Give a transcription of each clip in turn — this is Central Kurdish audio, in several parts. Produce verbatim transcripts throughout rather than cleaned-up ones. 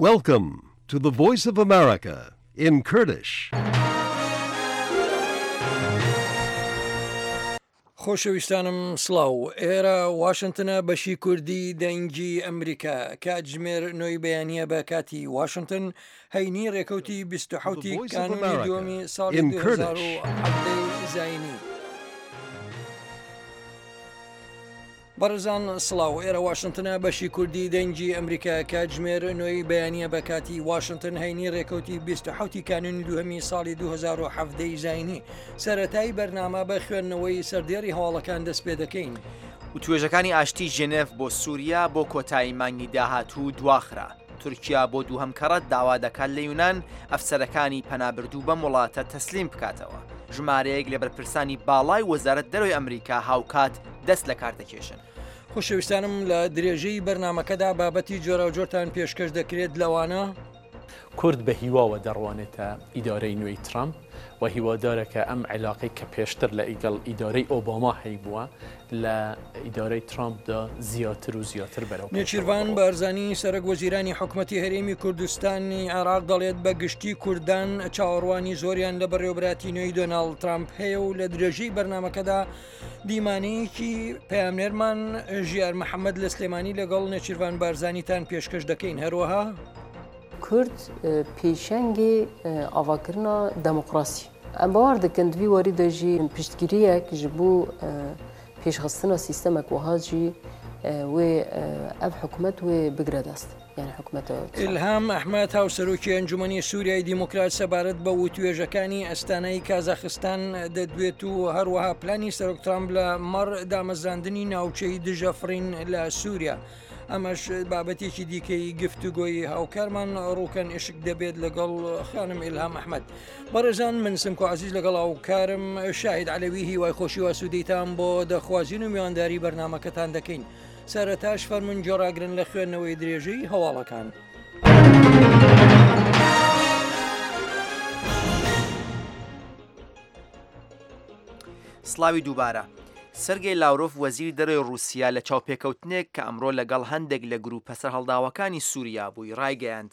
Welcome to the Voice of America in Kurdish. خۆشەویستانم سڵاو ئێرە واشنتنە بەشی کوردی دەنگی ئەمریکا کاتژمێر نۆی بەیانیە بە کاتی واشنتن هەینی ڕێکەوتی بیست و حەوت The ی Voice of کانونی America دووەمی ساڵی in دوو هەزار Kurdish. و حەڤدە زایینی. بەڕێزان سڵاو ئێرە واشنتنە بەشی کوردی دەنگی ئەمریکا کاتژمێر نۆی بەیانیە بە کاتی واشنتن هەینی ڕێکەوتی بیست و حەوت ی کانونی دووەمی ساڵی دوو هەزار و حەڤدە ی زایینی. سەرەتای بەرنامە بە خوێندنەوەی سەردێڕی هەواڵەکان دەست پێ دەکەین. وتوێژەکانی ئاشتی ژنێف بۆ سووریا بۆ کۆتایی مانگی داهاتوو دواخرا. تورکیا بۆ دووهەم کەڕەت داوا دەکات لە یونان ئەفسەرەکانی پەنابردوو بەم وڵاتە تەسلیم بکاتەوە. ژمارەیەک لە بەرپرسانی باڵای وەزارەت دەرەوەی ئەمریکا هاوکات دەست لە کار دەکێشن. خۆشەویستانم لە درێژەی بەرنمەکەدا بابەتی جۆراوجۆرتان پێشکەش دەکرێت لەوانە کورد بە هیواوە دەڕوانێتە ئیدارەی نوێی ترامپ و هیوادارە کە ئەم عیلاقەی کە پێشتر لە ئیگەڵ ئیدارەی ئۆباما هەیبووە لە ئیدارەی ترامپدا زیاتر و زیاتر بەرەو پێشەوە نێچیرڤان بڕۆ. بارزانی سەرۆک وەزیرانی حکومەتی هەرێمی کوردستانی عێراق دەڵێت بە گشتی کوردان چاوەڕوانی زۆریان لە بەڕێوەبەراتی نوێی دۆناڵد ترامپ هەیە و لە درێژەی بەرنمەکەدا دیمانەیەکی پەیامنێرمان ژیار محەممەد لە سلێمانی لەگەڵ نێچیرڤان بارزانیتان پێشکەش دەکەین. هەروەها کورد پێشەنگی ئاواکردنا دموکراسی. ئەم باوەڕ دەکەن دوی واری دەژی پشتگیریەک ji بۆ پێشخستنا سیستەمێک وەها jî wê ev حکومەت wê بگرە دەست. یعنی حکومەتە ئیلهام ئەحمەد هاوسەرۆکی ئەنجومەنی سووریای دیموکرات سەبارەت بە وتوێژەکانی ئەستانەی کازاخستان دەدوێت و هەروەها پلانی سەرۆک ترامپ لە مەڕ دامەزراندنی ناوچەی دژە فڕین لە سووریا. ئەمەش بابەتێکی دیکەی گفتوگۆی هاوکارمان ڕووکەن ئشک دەبێت لەگەڵ خانم ئیلهام ئەحمەد. بەڕێزان من سمکۆ عەزیز لەگەڵ هاوکارم شاهید عەلەوی هیوای خۆشی و ئاسوودەیتان بۆ دەخوازین و میوانداری بەرنامەکەتان دەکەین. سەرەتاش فەرمونون گۆڕاگرن لە خوێندنەوەی درێژەی هەواڵەکان. سڵاوی دووبارە. سەرگەی لاورۆف وەزیری دەرەوەی ڕووسیا لە چاوپێکەوتنێک کە ئەمڕۆ لەگەڵ هەندێک لە گروپە سەرهەڵداوەکانی سووریا بووی ڕایگەیاند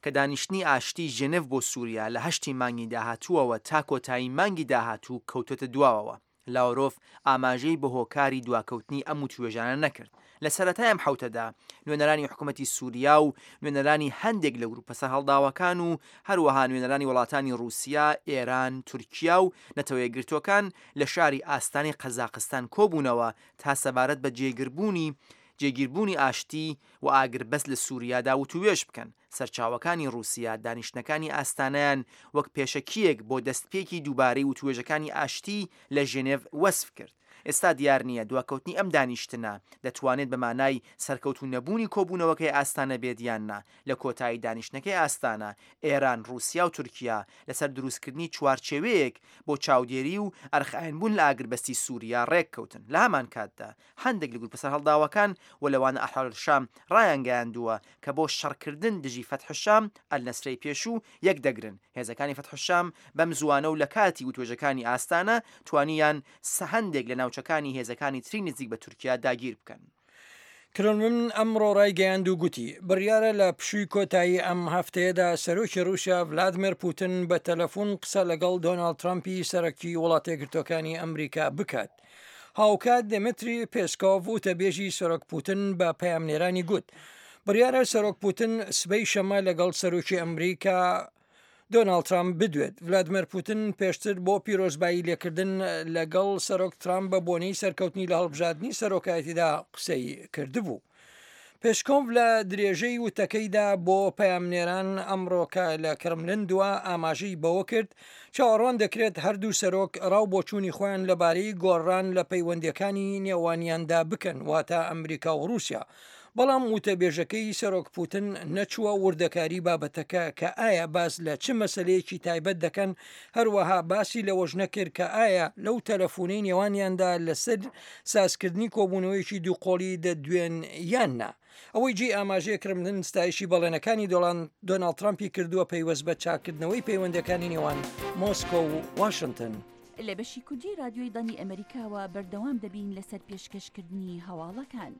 کە دانیشتنی ئاشتی ژنێف بۆ سووریا لە هەشتی مانگی داهاتووەوە تا کۆتایی مانگی داهاتوو کەوتۆتە دواوەوە. لاورۆف ئاماژەی بە هۆکاری دواکەوتنی ئەم وتوێژانە نەکرد. لە سەرەتای ئەم حوتەدا نوێنەرانی حکوومەتی سووریا و نوێنەرانی هەندێک لە گروپە سەرهەڵداوەکان و هەروەها نوێنەرانی وڵاتانی ڕووسیا، ئێران، تورکیا و نەتەوە یەکگرتووەکان لە شاری ئاستانی قەزاقستان کۆبوونەوە تا سەبارەت بە جێگربوونی جێگیربوونی ئاشتی و ئاگربەست لە سووریادا وتوێژ بکەن. سەرچاوەکانی ڕووسیا دانیشتنەکانی ئاستانیان وەک پێشەکیەک بۆ دەستپێکی دووبارەی وتوێژەکانی ئاشتی لە ژنێڤ وەسف کرد. ئێستا دیار نییە دواکەوتنی ئەم دانیشتنە دەتوانێت بە مانای سەرکەوتو نەبوونی کۆبوونەوەکەی ئاستانە بێت یان نا. لە کۆتایی دانیشتنەکەی ئاستانە ئێران، ڕووسیا و تورکیا لەسەر دروستکردنی چوارچێوەیەک بۆ چاودێری و ئەرخایەنبوون لە ئاگربەستی سووریا ڕێککەوتن. لە هەمان کاتدا هەندێک لە گروپە سەرهەڵداوەکان و لەوانە ئەحرار شام ڕایانگەیاندووە کە بۆ شەڕکردن دژی فەتح شام ئەلنەسرەی پێشوو یەک دەگرن. هێزەکانی فەتح شام بەم زووانە و لە کاتی وتوێژەکانی ئاستانە توانیان هەندێک لە ناوچەکانی هێزەکانی تری نزیک بە تورکیا داگیر بکەن. کرملن ئەمڕۆ ڕایگەیاند و گوتی بڕیارە لە پشووی کۆتایی ئەم هەفتەیەدا سەرۆکی ڕووسیا ڤلادیمێر پوتن بە تەلەفۆن قسە لەگەڵ دۆناڵد ترامپی سەرەکی وڵاتە یەکگرتووەکانی ئەمریکا بکات. هاوکات دێمتری پێسکۆڤ وتەبێژی سەرۆک پوتن بە پەیامنێرانی گوت بڕیارە سەرۆک پوتن سبەی شەمە لەگەڵ سەرۆکی ئەمریکا دۆناڵد ترامپ بدوێت. ڤلادیمێر پوتن پێشتر بۆ پیرۆزبایی لێکردن لەگەڵ سەرۆک ترامپ بە بۆنەی سەرکەوتنی لە هەڵبژاردنی سەرۆکایەتیدا قسەی کردبوو. پێشکۆڤ لە درێژەی وتەکەیدا بۆ پەیامنێران ئەمڕۆکە لە کرملن دوا ئاماژەی بەوە کرد چاوەڕوان دەکرێت هەردوو سەرۆک ڕاو بۆچوونی خۆیان لەبارەی گۆڕان لە پەیوەندیەکانی نێوانیاندا بکەن، واتە ئەمریکا و ڕووسیا. بەڵام وتەبێژەکەی سەرۆک پوتن نەچووە وردەکاری بابەتەکە کە ئایا باس لە چ مەسلەیەکی تایبەت دەکەن، هەروەها باسی لەوەش نەکرد کە ئایا لەو تەلەفۆنەی نێوانیاندا لەسەر سازکردنی کۆبوونەوەیەکی دووقۆڵی دەدوێن یان نا. ئەوەی جێی ئاماژەیە کرملن ستایشی بەڵێنەکانی دۆناڵد ترامپی کردووە پەیوەست بە چاکردنەوەی پەیوەندەکانی نێوان مۆسکۆ و واشنگتن. لە بەشی کوردی رادیۆی دەنگی ئەمریکاوە بەردەوام دەبین لەسەر پێشکەشکردنی هەواڵەکان.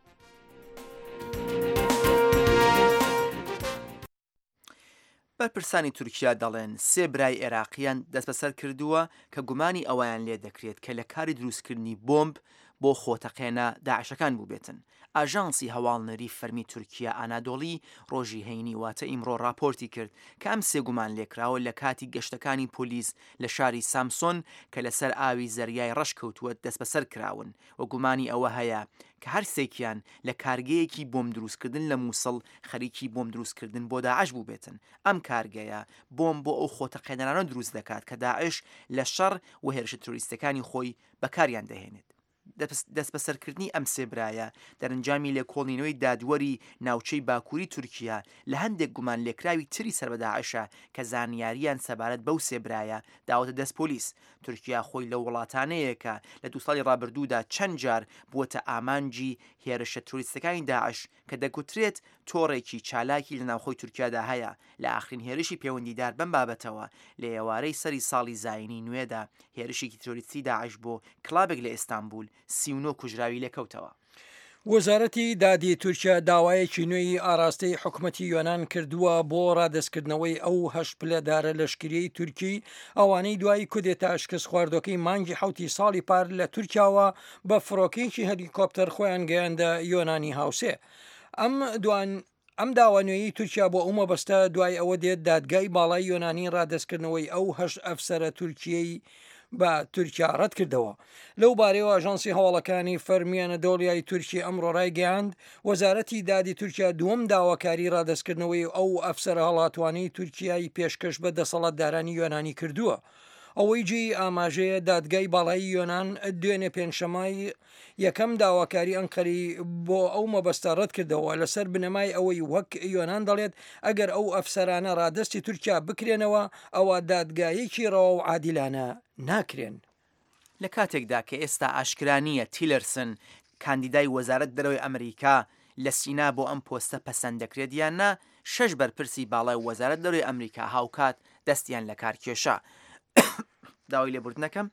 بەرپرسانی تورکیا دەڵێن سێ برای ئێراقییان دەستبەسەر کردووە کە گومانی ئەوەیان لێدەکرێت کە لە کاری دروستکردنی بۆمب بۆ خۆتەقێنە داعشەکان بووبێتن. ئاژانسی هەواڵنێری فەرمی تورکیا ئانادۆڵی ڕۆژی هەینی واتە ئیمڕۆ ڕاپۆرتی کرد کە ئەم سێ گومانلێکراوە لە کاتی گەشتەکانی پۆلیس لە شاری سامسۆن کە لەسەر ئاوی زەریای ڕەش کەوتووە دەستبەسەر کراون و گومانی ئەوە هەیە کە هەر سێکیان لە کارگەیەکی بۆمب دروستکردن لە موسڵ خەریکی بۆمب دروستکردن بۆ داعش بووبێتن. ئەم کارگەیە بۆمب بۆ ئەو خۆتەقێنەرانە دروست دەکات کە داعش لە شەڕ و هێرشە ترۆریستیەکانی خۆی بەکاریان دەهێنێت. دەستبەسەرکردنی ئەم سێ برایە دەرەنجامی لێکۆڵینەوەی دادوەری ناوچەی باکووری تورکیا لە هەندێک گومانلێکراوی تری سەر بە داعشە کە زانیارییان سەبارەت بەو سێ برایە داوەتە دەست پۆلیس. تورکیا خۆی لەو وڵاتانەیە کە لە دوو ساڵی ڕابردوودا چەند جار بووەتە ئامانجی هێرشە ترۆریستەکانی داعش کە دەگوترێت تۆڕێکی چالاکی لە ناوخۆی تورکیادا هەیە. لە ئاخرین هێرشی پەیوەندیدار بەم بابەتەوە لە ئێوارەی سەری ساڵی زایینی نوێدا هێرشێکی ترۆریستی داعش بۆ کڵابێک لە ئیستانبول سی و نۆ کوژراوی لێکەوتەوە. وەزارەتی دادی تورکیا داوایەکی نوێی ئاراستەی حکومەتی یۆنان کردووە بۆ ڕادەستکردنەوەی ئەو هەشت پلەدارە لەشکریەی تورکی ئەوانەی دوای کودێتا شکستخواردوەکەی مانگی حەوتی ساڵی پار لە تورکیاوە بە فڕۆکەیەکی هەلیکۆپتەر خۆیان گەیاندە یۆنانی هاوسێ. ئەم دوان ئەم داوا نوێیەی تورکیا بۆ ئەو مەبەستە دوای ئەوە دێت دادگای باڵای یۆنانی ڕادەستکردنەوەی ئەو هەشت ئەفسەرە تورکیەی بە تورکیا ڕەتکردەوە. لەو بارەیەوە ئاژانسی هەواڵەکانی فەرمی ئەنەدۆڵیای تورکی ئەمڕۆ ڕایگەیاند، وەزارەتی دادی تورکیا دووەم داواکاری ڕادەستکردنەوەی ئەو ئەفسەرە هەڵاتوانەی تورکیای پێشکەش بە دەسەڵاتدارانی یۆنانی کردووە. ئەوەی جێی ئاماژەیە دادگای باڵای یۆنان دوێنێ پێنجشەممەی یەکەم داواکاری ئەنقەرەی بۆ ئەو مەبەستە ڕەتکردەوە لەسەر بنەمای ئەوەی وەک یۆنان دەڵێت ئەگەر ئەو ئەفسەرانە ڕادەستی تورکیا بکرێنەوە ئەوا دادگایەکی ڕەوا و عادیلانە ناکرێن. لە کاتێکدا کە ئێستا ئاشکرا نییە تیلەرسن کاندیدای وەزارەت دەرەوەی ئەمریکا لە سینا بۆ ئەم پۆستە پەسەند دەکرێت یان نا، شەش بەرپرسی باڵای وەزارەت دەرەوەی ئەمریکا هاوکات دەستیان لە کار کێشا. داوای لێبوردنەکەم.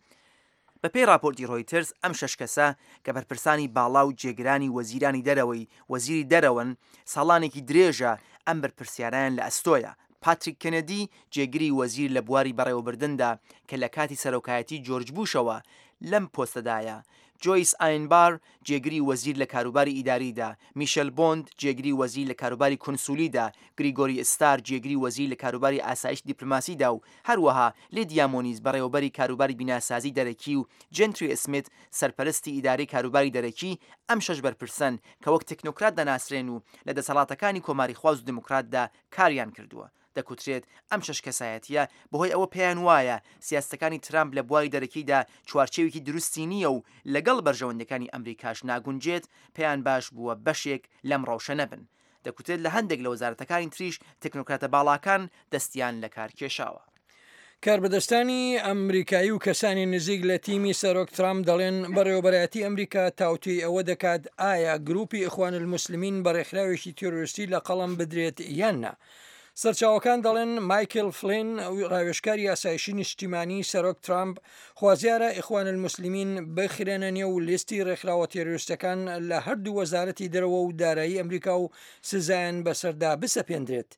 بەپێی ڕاپۆرتی ڕۆیتەرز، ئەم شەش کەسە کە بەرپرسانی باڵا و جێگرانی وەزیرانی دەرەوەی وەزیری دەرەوەن، ساڵانێکی درێژە ئەم بەرپرسیارایان لە ئەستۆیە. پاتریک کەنەدی، جێگری وەزیر لە بواری بەڕێوەبردندا کە لە کاتی سەرۆکایەتی جۆرج بوشەوە لەم پۆستەدایە، جۆیس ئاین بار، جێگری وەزیر لە کاروباری ئیداریدا، میشێل بۆند، جێگری وەزیر لە کاروباری کونسولیدا، گریگۆری ئستار، جێگری وەزیر لە کاروباری ئاسایشی دیپلۆماسیدا و هەروەها لیدیا مۆنیز، بەڕێوەبەری کاروباری بیناسازی دەرەکی و جێنتری ئسمیت، سەرپەرستی ئیدارەی کاروباری دەرەکی، ئەم شەش بەرپرسەن کە وەک تەکنۆکرات دەناسرێن و لە دەسەڵاتەکانی کۆماریخواز و دیموکراتدا کاریان کردووە. دەکوترێت ئەم شەش کەسایەتییە بەهۆی ئەوە پێیان وایە سیاسەتەکانی ترامپ لە بواری دەرەکیدا چوارچێوێکی دروستی نییە و لەگەڵ بەرژەوەندییەکانی ئەمریکاش ناگونجێت، پێیان باش بووە بەشێک لەم ڕەوشە نەبن. دەکوترێت لە هەندێک لە وەزارەتەکانی تریش تەکنۆکراتە باڵاکان دەستیان لەکار کێشاوە. کاربەدەستانی ئەمریکایی و کەسانی نزیک لە تیمی سەرۆک ترامپ دەڵێن بەڕێوەبەرایەتی ئەمریکا تاوتوێی ئەوە دەکات ئایا گروپی ئیخوان الموسلمین بە ڕێکخراوێکی تیرۆریستی لە قەڵەم بدرێت یان نا. سەرچاوەکان دەڵێن مایکل فلین ڕاوێژکاری ئاسایشی نیشتیمانی سەرۆک ترامپ خوازیارە ئیخوان الموسلمین بخرێنە نێو لیستی ڕێکخراوە تیرۆریستەکان لە هەردوو وەزارەتی دەرەوە و دارایی ئەمریکا و سزایان بەسەردا بسەپێندرێت.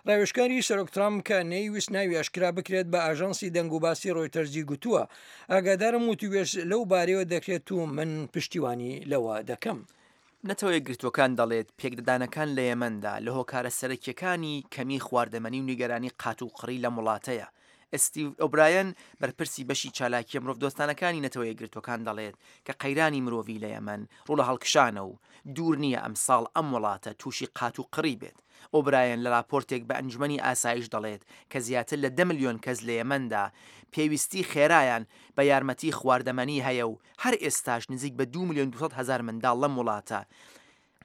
ڕاوێژکاری سەرۆک ترامپ کە نەیویست ناوی ئاشکرا بکرێت بە ئاژانسی دەنگوباسی ڕۆیتەرزی گوتووە ئاگادارم وتووێژ لەو بارەیەوە دەکرێت و من پشتیوانی لەوە دەکەم. نەتەوە یەکگرتووەکان دەڵێت پێکدادانەکان لە یەمەندا لە هۆکارە سەرەکییەکانی کەمی خواردەمەنی و نیگەرانی قاتوقڕی لەم وڵاتەیە. ستیڤ ئۆبرایەن بەرپرسی بەشی چالاکییە مرۆڤدۆستانەکانی نەتەوە یەکگرتووەکان دەڵێت کە قەیرانی مرۆڤی لە یەمەن ڕوو لە هەڵکشانە و دوور نییە ئەمساڵ ئەم وڵاتە تووشی قاتوقڕی بێت. ئۆبرایەن لە راپۆرتێک بە ئەنجومەنی ئاسایش دەڵێت کە زیاتر لە دە ملیۆن کەس لە یەمەندا پێویستی خێرایان بە یارمەتی خواردەمەنی هەیە و هەر ئێستاش نزیک بە دوو ملیۆن دوو سەد هەزار منداڵ لەم وڵاتە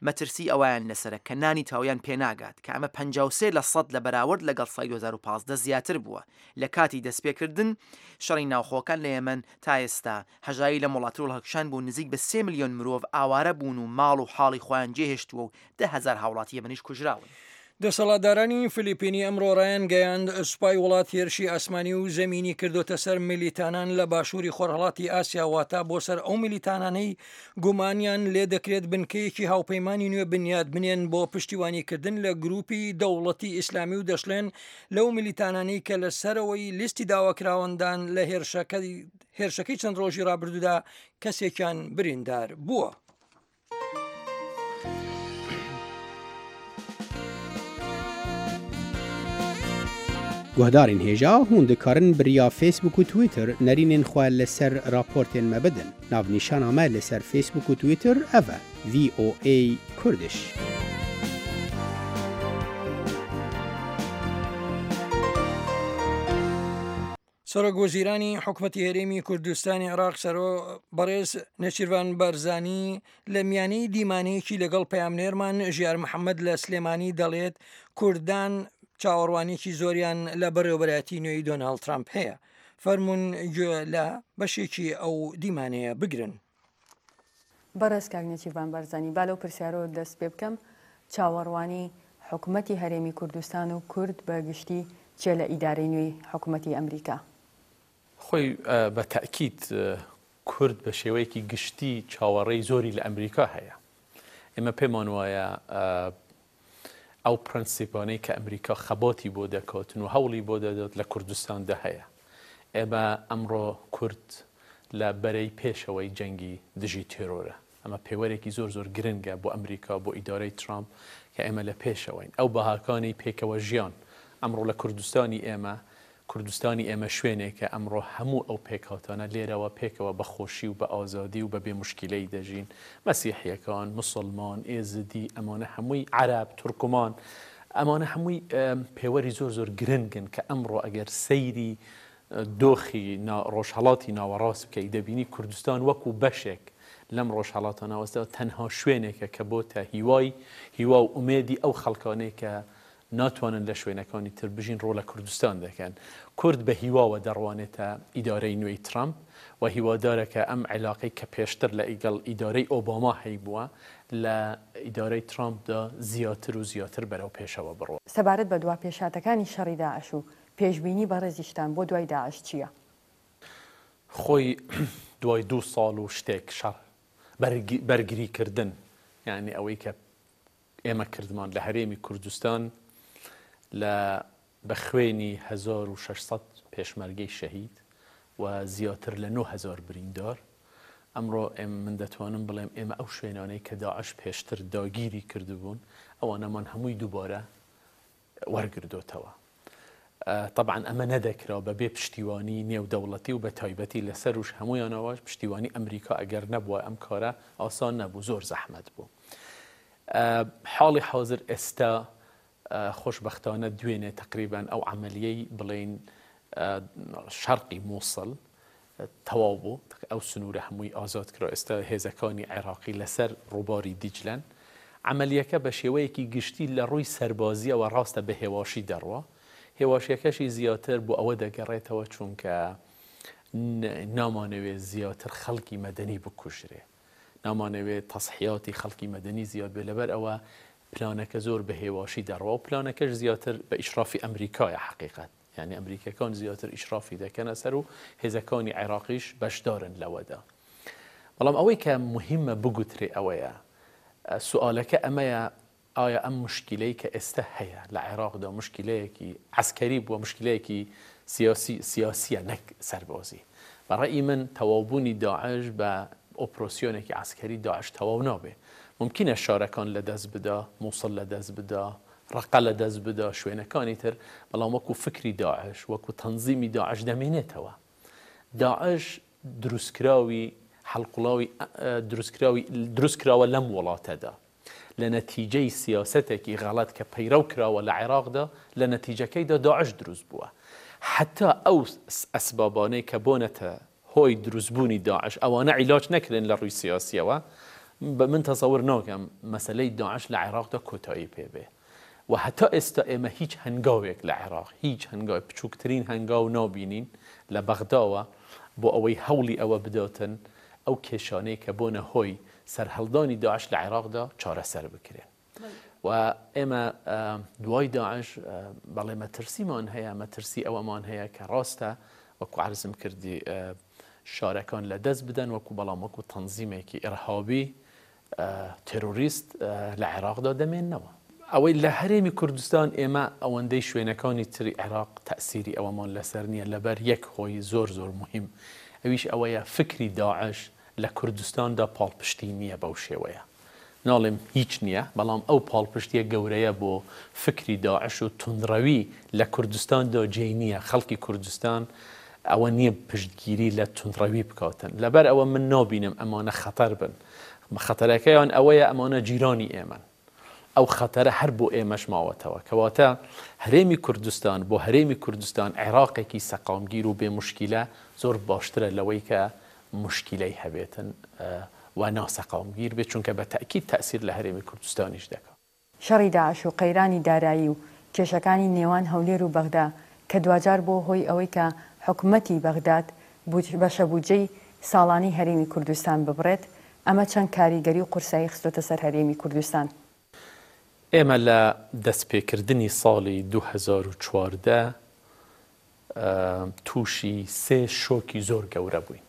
مەترسی ئەوەیان لەسەرە کە نانی تەواویان پێناگات کە ئەمە پەنجا و سێ لە سەد لە بەراورد لەگەڵ ساڵی دوو هەزار و پازدە زیاتر بووە لە کاتی دەستپێکردن شەڕی ناوخۆکان لە یەمەن تا ئێستا هەژاری لەم وڵاتە ڕووڵهەڵکشان بوو نزیک بە سێ ملیۆن مرۆڤ ئاوارە بوون و ماڵ و حاڵی خۆیان جێهێشتووە و دە هەزار هاوڵاتی یەمەنیش کوژراون. دەسەڵاتدارانی فلیپینی ئەمڕۆ ڕایانگەیاند، سوپای وڵات هێرشی ئاسمانی و زەمینی کردۆتە سەر میلیتانان لە باشووری خۆرهەڵاتی ئاسیا، واتە بۆ سەر ئەو میلیتانانەی گومانیان لێدەکرێت بنکەیەکی هاوپەیمانی نوێ بنیات بنێن بۆ پشتیوانیکردن لە گروپی دەوڵەتی ئیسلامی و دەشڵێن لەو میلیتانانەی کە لە سەرەوەی لیستی داواکراوەندان لە هێرشەکەی چەند ڕۆژی ڕابردوودا کەسێکیان بریندار بووە. Guhdarên hêja hûn dikarin bi riya Facebook û Twitter nerînên xwe li ser raportên me bidin. Navnîşana me li ser Facebook û Twitter ev e: V O A Kurdish. سەرۆک وەزیرانی حکومەتی هەرێمی کوردستانی عێراق سەرۆ بەڕێز نێچیرڤان بارزانی لە میانەی دیمانەیەکی لەگەڵ پەیامنێرمان ژیار محەممەد لە سلێمانی دەڵێت کوردان چاوەڕوانیەکی زۆریان لە بەڕێوەبەرایەتی نوێی دۆناڵد ترامپ هەیە. فەرمونون گوێ لە بەشێکی ئەو دیمانەیە بگرن. بەڕێز کاک نێچیرڤان بارزانی، با لەو پرسیارەوە دەست پێ بکەم، چاوەڕوانی حکومەتی هەرێمی کوردستان و کورد بە گشتی چیە لە ئیدارەی نوێی حکومەتی ئەمریکا؟ خۆی بە تەئکید کورد بە شێوەیەکی گشتی چاوەڕێی زۆری لە ئەمریکا هەیە. ئێمە پێمان وایە ئەو پرەنسیپانەی کە ئەمریکا خەباتی بۆ دەکاتن و هەوڵی بۆ دەدات لە کوردستاندا هەیە. ئێمە ئەمڕۆ کورد لە بەرەی پێشەوەی جەنگی دژی تێرۆرە. ئەمە پێوەرێکی زۆر زۆر گرنگە بۆ ئەمریکا، بۆ ئیدارەی ترامپ کە ئێمە لە پێشەوەین. ئەو بەهاکانی پێکەوە ژیان ئەمڕۆ لە کوردستانی ئێمە، کوردستانی ئێمە شوێنێکە ئەمڕۆ هەموو ئەو پێکهاتانە لێرەوە پێکەوە بە خۆشی و بە ئازادی و بە بێ مشکلەی دەژین. مەسیحیەکان، مسلمان، ئێزدی، ئەمانە هەمووی عەرەب، تورکمان، ئەمانە هەمووی پێوەری زۆر زۆر گرنگن کە ئەمڕۆ ئەگەر سەیری دۆخی ڕۆژهەڵاتی ناوەڕاست بکەی دەبینی کوردستان وەکو بەشێک لەم ڕۆژهەڵاتە ناوەستە تەنها شوێنێکە کە بۆتە هیوای هیوا و ئومێدی ئەو خەڵکانەی کە ناتوانن لە شوێنەکانی تر بژین ڕۆ لە کوردستان دەکەن. کورد بە هیواوە دەڕوانێتە ئیدارەی نوێی ترامپ و هیوادارە کە ئەم عیلاقەی کە پێشتر لە ئیگەڵ ئیدارەی ئۆباما هەیبووە لە ئیدارەی ترامپدا زیاتر و زیاتر بەرەو پێشەوە بڕوە. سەبارەت بە دوا پێشهاتەکانی شەڕی داعش و پێشبینی بەڕێزیشتان بۆ دوای داعش چییە؟ خۆی دوای دوو ساڵ و شتێک شەڕ بەرگریکردن، یعنی ئەوەی کە ئێمە کردمان لە هەرێمی کوردستان لە بە خوێنی هەزار و شەش سەد پێشمەرگەی شەهید و زیاتر لە نۆ هەزار بریندار، ئەمڕۆ من دەتوانم بڵێم ئێمە ئەو شوێنانەی کە داعش پێشتر داگیری کردبوون ئەوانەمان هەمووی دووبارە وەرگردۆتەوە. طبعا ئەمە نەدەکرا بەبێ پشتیوانی نێودەوڵەتی و بە تایبەتی لەسەروش هەمویانەوە پشتیوانی ئەمریکا ئەگەر نەبووە ئەم کارە ئاسان نەبوو، زۆر زەحمەت بوو. حاڵی حاضر ئێستا خۆشبەختانە دوێنێ تقریبا ئەو عملیەی بڵێن شەرقی مووسڵ تەواو بوو، ئەو سنوورە هەمووی ئازاد کرا. ئێستا هێزەکانی عێراقی لەسەر ڕووباری دیجلەن. عملیەکە بە شێوەیەکی گشتی لە ڕووی سەربازیەوە ڕاستە بە هێواشی دەڕوە، هێواشیەکەشی زیاتر بۆ ئەوە دەگەڕێتەوە چونکە نامانەوێت زیاتر خەڵکی مەدەنی بکوژرێ، نامانەوێت تەسحیاتی خەڵکی مەدەنی زیاد بێ، لەبەر ئەوە پلانەکە زۆر بە هێواشی دەڕوە و پلانەکەش زیاتر بە ئیشرافی ئەمریکایە حەقیقەت، یعنی ئەمریکەکان زیاتر ئیشرافی دەکەنە سەر و هێزەکانی عێراقیش بەشدارن لەوەدا. بەڵام ئەوەی کە مهمە بگوترێ ئەوەیە سوالەکە ئەمەیە، ئایا ئەم مشکلەی کە ئێستا هەیە لە عێراقدا مشکلەیەکی عەسکەری بووە، مشکلەیەکی سیاسی سیاسیە نەک سەربازی؟ بە ڕەئی من تەواوبوونی داعش بە ئۆپراسیۆنێکی عەسکەری داعش تەواو نابێ. ممکنە شارەکان لەدەست بدا، مووسڵ لەدەست بدا، ڕەقە لەدەست بدا، شوێنەکانی تر، بەڵام وەکو فکری داعش وەکو تەنزیمی داعش دەمێنێتەوە. داعش دروستکراوی حەڵقوڵاوی دروستکراوی دروستکراوە لەم وڵاتەدا لە نەتیجەی سیاسەتێکی غەڵەت کە پەیرەو کراوە لە عێراقدا، لە نەتیجەکەیدا داعش دروست بووە. حتا ئەو ئەسبابانەی کە بۆنەتە هۆی دروستبوونی داعش ئەوانە عیلاج نەکرێن لە ڕووی سیاسیەوە، بە من تەسەور ناکەم مەسەلەی داعش لە عێراقدا کۆتایی پێبێ. و هەتا ئێستا ئێمە هیچ هەنگاوێک لە عێراق، هیچ هەنگاو، بچووکترین هەنگاو نابینین لە بەغداوە بۆ ئەوەی هەوڵی ئەوە بداتن ئەو کێشانەی کە بۆنە هۆی سەرهەڵدانی داعش لە عێراقدا چارەسەر بکرێن. و ئێمە دوای داعش بەڵێ مەترسیمان هەیە، مەترسی ئەوەمان هەیە کە ڕاستە وەکو عەرزم کردی شارەکان لە دەست بدەن، وەکو بەڵام وەکو تەنزیمێکی ئیرهابی تێرۆریست لە عێراقدا دەمێننەوە. ئەوەی لە هەرێمی کوردستان ئێمە ئەوەندەی شوێنەکانی تری عێراق تەئسیری ئەوەمان لەسەر نییە لەبەر یەک هۆی زۆر زۆر مهم، ئەویش ئەوەیە فکری داعش لە کوردستاندا پاڵپشتی نییە بەو شێوەیە. ناڵێم هیچ نییە، بەڵام ئەو پاڵپشتیە گەورەیە بۆ فکری داعش و توندڕەوی لە کوردستاندا جێی نییە. خەڵکی کوردستان ئەوە نییە پشتگیری لە توندڕەوی بکاتن. لەبەر ئەوە من نابینم ئەمانە خەتەر بن. خەتەرەکەیان ئەوەیە ئەمانە جیرانی ئێمەن، ئەو خەتەرە هەر بۆ ئێمەش ماوەتەوە. کەواتە هەرێمی کوردستان بۆ هەرێمی کوردستان عێراقێکی سەقامگیر و بێ مشکیلە زۆر باشترە لەوەی کە مشکیلەی هەبێتن و ناسەقامگیر بێت، چونکە بە تەئکید تەئسیر لە هەرێمی کوردستانیش دەکات. شەڕی داعش و قەیرانی دارایی و کێشەکانی نێوان هەولێر و بەغدا کە دواجار بووە هۆی ئەوەی کە حکومەتی بەغداد بەشە بودجەی ساڵانەی هەرێمی کوردستان ببڕێت، ئەمە چەند کاریگەری و قورسایی خستۆتە سەر هەرێمی کوردستان؟ ئێمە لە دەستپێکردنی ساڵی دوو هەزار و چواردە تووشی سێ شۆکی زۆر گەورە بووین.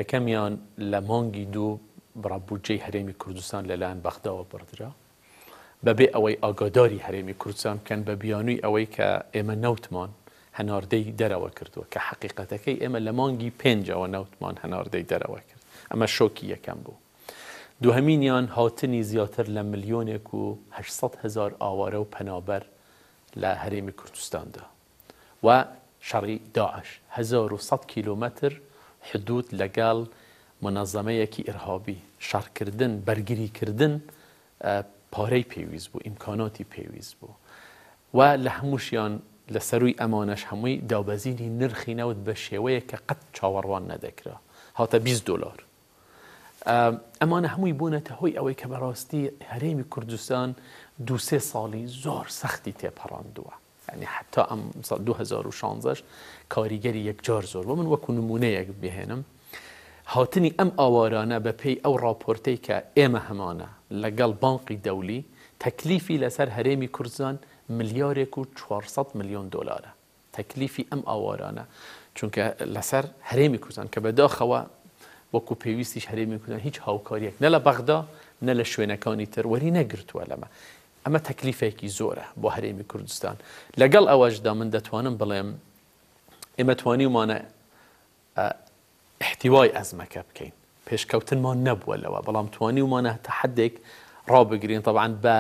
یەکەمیان لە مانگی دوو بڕە بودجەی هەرێمی کوردستان لەلایەن بەغداوە بڕدرا بەبێ ئەوەی ئاگاداری هەرێمی کوردستان بکەن، بە بیانووی ئەوەی کە ئێمە نەوتمان هەناردەی دەرەوە کردووە، کە حەقیقەتەکەی ئێمە لە مانگی پێنجەوە نەوتمان هەناردەی دەرەوە کرد. ئەمە شۆکی یەکەم بوو. دووهەمینیان هاتنی زیاتر لە ملیۆنێک و هەشت هەزار ئاوارە و پەنابەر لە هەرێمی کوردستاندا و شەڕی داعش هەزار و سەد کیلۆمەتر حدود لەگەڵ منەظەمەیەکی ئیرهابی شەڕکردن، بەرگریکردن پارەی پێویست بوو، ئیمکاناتی پێویست بوو و لە هەمووشیان لە سەروی ئەمانەش هەمووی دابەزینی نرخی نەوت بە شێوەیە کە قەت چاوەڕوان نەدەکرا، هاتە بیست دۆلار. ئەمانە هەمووی بوونەتە هۆی ئەوەی کە بەڕاستی هەرێمی کوردستان دوو سێ ساڵی زۆر سەختی تێپەڕاندووە. یعنی حتا ئەم دوو هەزار و شانزەش کاریگەری یەکجار زۆر بۆ من وەکو نمونەیەک بهێنم، هاتنی ئەم ئاوارانە بە پێی ئەو راپۆرتەی کە ئێمە هەمانە لەگەڵ بانقی دەولی تەکلیفی لەسەر هەرێمی کوردستان ملیارێک و چوارسەد ملیۆن دۆلارە تەکلیفی ئەم ئاوارانە، چونکە لەسەر هەرێمی کوردستان کە بەداخەوە وەکو پێویستیش هەرێمی کوردستان هیچ هاوکاریەک نە لە بەغدا نە لە شوێنەکانی تر وەری نەگرتووە لەمە. ئەمە تەکلیفێکی زۆرە بۆ هەرێمی کوردستان. لەگەڵ ئەوەشدا من دەتوانم بڵێم ئێمە توانیومانە احتیوای ئەزمەکە بکەین، پێشکەوتنمان نەبووە لەوە، بەڵام توانیومانە تەحەدێک ڕابگرین طبعا بە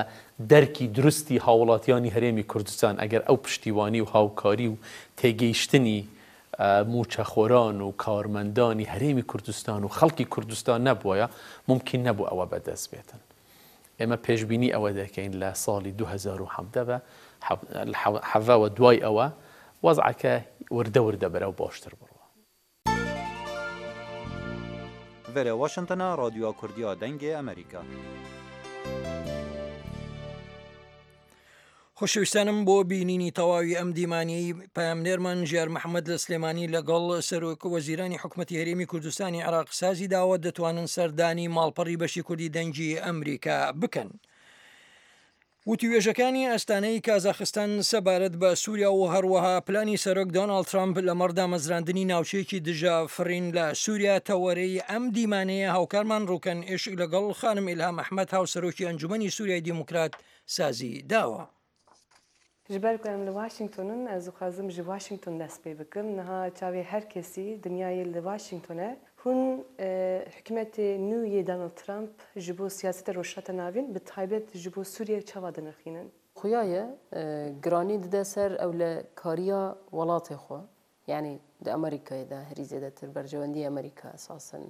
دەرکی دروستی هاوڵاتیانی هەرێمی کوردستان. ئەگەر ئەو پشتیوانی و هاوکاری و تێگەیشتنی موچەخۆران و کارمەندانی هەرێمی کوردستان و خەڵکی کوردستان نەبووە، ممکن نەبوو ئەوە بەدەست بێتن. ئێمە پێشبینی ئەوە دەکەین لە ساڵی دوو هەزار و حەڤدە بە حەڤەوە دوای ئەوە وەزعەکە وردە وردە بەرەو باشتر بڕوە. ڤێرە واشنتۆنا، رادیۆ کوردیا، دەنگێ ئەمریکا. خۆشەویستانم بۆ بینینی تەواوی ئەم دیمانەی پەیامنێرمان ژیار محەممەد لە سلێمانی لەگەڵ سەرۆک وەزیرانی حکوومەتی هەرێمی کوردستانی عێراق سازی داوە، دەتوانن سەردانی ماڵپەڕی بەشی کوردی دەنگی ئەمریکا بکەن. وتوێژەکانی ئەستانەی کازاخستان سەبارەت بە سووریا و هەروەها پلانی سەرۆک دۆناڵد ترامپ لەمەڕ دامەزراندنی ناوچەیەکی دژە فڕین لە سووریا تەوەرەی ئەم دیمانەیە هاوکارمان ڕووکەن ئێشک لەگەڵ خانم ئیلهام ئەحمەد هاوسەرۆکی ئەنجومەنی سووریای دیموکرات سازی داوە. ji ber ku em li Washingtonin ez dixwazim ji Washington dest pê bikim. Niha çavê her kesî dinyayê li Washington e. Hûn hikûmetê nû yê Donald Trump ji bo siyaseta Rojhilata Navîn bi taybet ji bo Sûriye çawa dinirxînin? Xuya ye giranî dide ser ewlekariya welatê xwe. Yani di Amerîkayê de herî zêdetir berjewendiyê Amerîka esasen.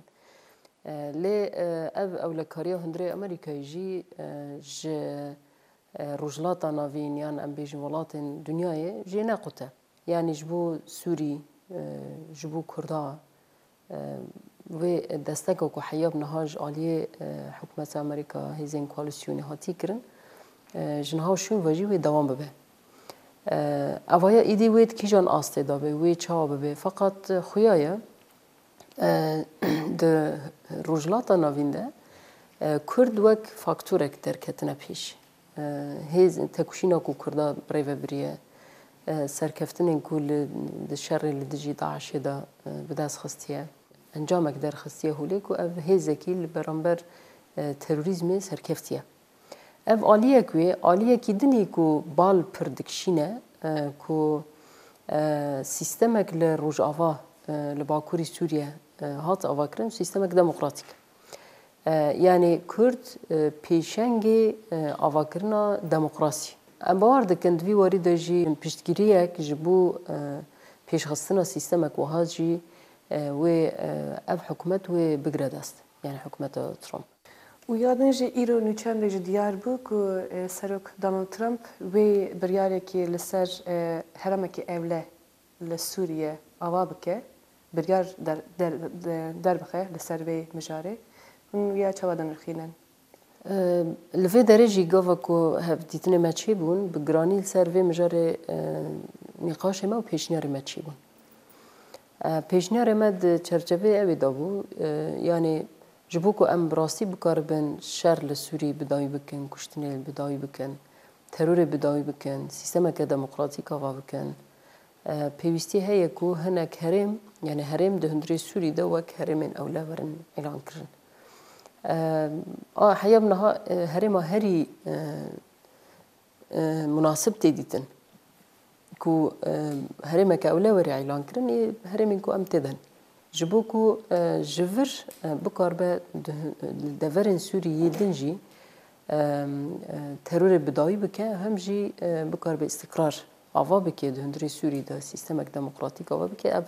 Lê ev ewlekariya hundirê Amerîkayê jî ji Rojhilata Navîn yan em bêjin welatên dünyayê jê nequte. Yani ji bo Sûrî, ji bo Kurda wê desteka ku heya bi niha ji aliyê hikûmeta Amerîka hêzên koalîsyonê hatî kirin, ji niha şûn ve jî wê dewam bibe. Evaya îdî wê di kîjan astê de be, wê çawa bibe. Feqet xuya ye di Rojhilata Navîn de Kurd wek faktorek derketine pêş. Hêz têkoşîna ku Kurda birêvebiriye, serkeftinên ku li di şerê li dijî DAIŞê de bi dest xistiye, encamek derxistiye holê ku ev hêzekî li beramber terorîzmê serkeftiye. Ev aliyek wê, aliyekî dinî ku bal pir dikişîne ku sîstemek li Rojava li Bakurê Sûriye hat avakirin, sîstemek demokratîk. Yani Kurd pêşengê avakirina demokrasî. Em bawer dikin di vî warî de jî piştgiriyek ji bo pêşxistina sîstemek wiha jî wê ev hikûmet wê bigire dest. Yani hikûmeta Trump. û ya din jî îro nûçem de jî diyar bû ku Serok Donald Trump wê biryarekî li ser heremekî ewle li Sûriye ava bike, biryar derbixe li ser vê mijarê. Hûn ya çawa dinirxînin? Li vê derê jî gava ku hevdîtinê me çêbûn, bi giranî li ser vê mijarê nîqaşê me û pêşniyarê me çêbûn. Pêşniyarê me di çerçeveyê ew ê dabû, yanî ji bo ku em bi rastî bikaribin şer li Sûriyê bi dawî bikin, kuştinê bi dawî bikin, terorê bi dawî bikin, sîstemeke demokratîk ava bikin, pêwîstî heye ku hinek herêm, yani herêm di hundirê Sûrî de wek herêmên ewle werin îlankirin. A heya niha herêma herî munasib tê dîtin ku herêmeke ewle were îlankirin ê herêmên ku em tê de. Ji bo ku ji vir bikaribe li deverên Sûrî yê din jî terorê bi dawî bike, hem jî bikaribe îstiqrar ava bike di hundirê Sûrî de sîstemek demokratîk ava bike, ev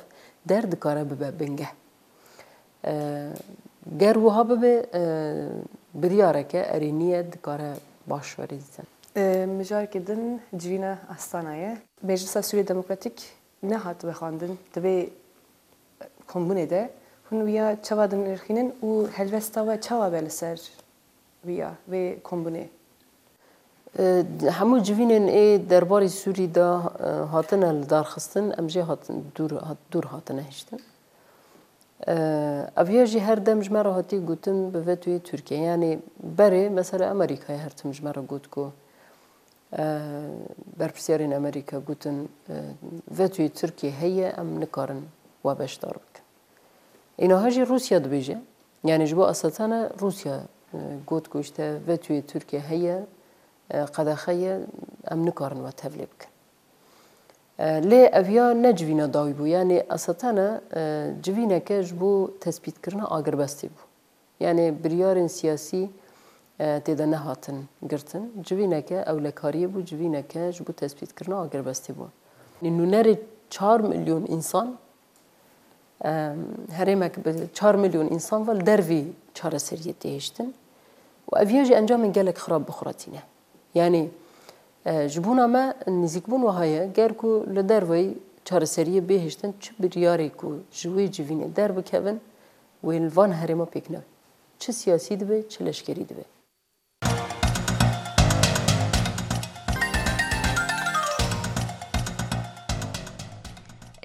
der dikare bibe bingeh. Ger wiha bibe biryareke erêniye dikare baş were dîtin. Mijareke din civîna Astana ye. Meclisa Sûriye Demokratîk nehat vexwendin di vê kombûnê de. Hûn wiya çawa dinirxînin û helwesta we çawa be li ser wiya vê kombûnê? Hemû civînên ê derbarê Sûrî de hatine lidarxistin, em jê hatin dûr hatine hiştin. Ev ya jî her dem ji me re hatiye gotin bi vetoyê Tirkiye. Yani berê mesela Amerîkayê her tim ji me re got ku berpirsyarên Amerîka gotin vetoyê Tirkiye heye, em nikarin we beşdar bikin. Înaha jî Rûsya dibêje. Yani ji bo Asatana Rûsya got ku işte vetoyê Tirkiye heye, qedexe ye, em nikarin we tevlê bikin. Lê ev ya ne civîna dawî bû. Yani Asatana civîneke ji bo tespîtkirina agirbestê bû. Yani biryarên siyasî tê de nehatin girtin. Civîneke ewlekariyê bû, civîneke ji bo tespîtkirina agirbestê bû. Nûnerê çar milyon însan, herêmek bi çar milyon însan ve li dervî çareseriyê tê hiştin û ev ya jî encamên gelek xirab bi xwe re tîne. Yani ji bona me nêzîkbûn wiha ye, ger ku li derveyî çareseriyê bê hiştin, çi biryarê ku ji wê civînê derbikevin wê li van herêma pêk nebe. Çi siyasî dibe, çi leşkerî dibe.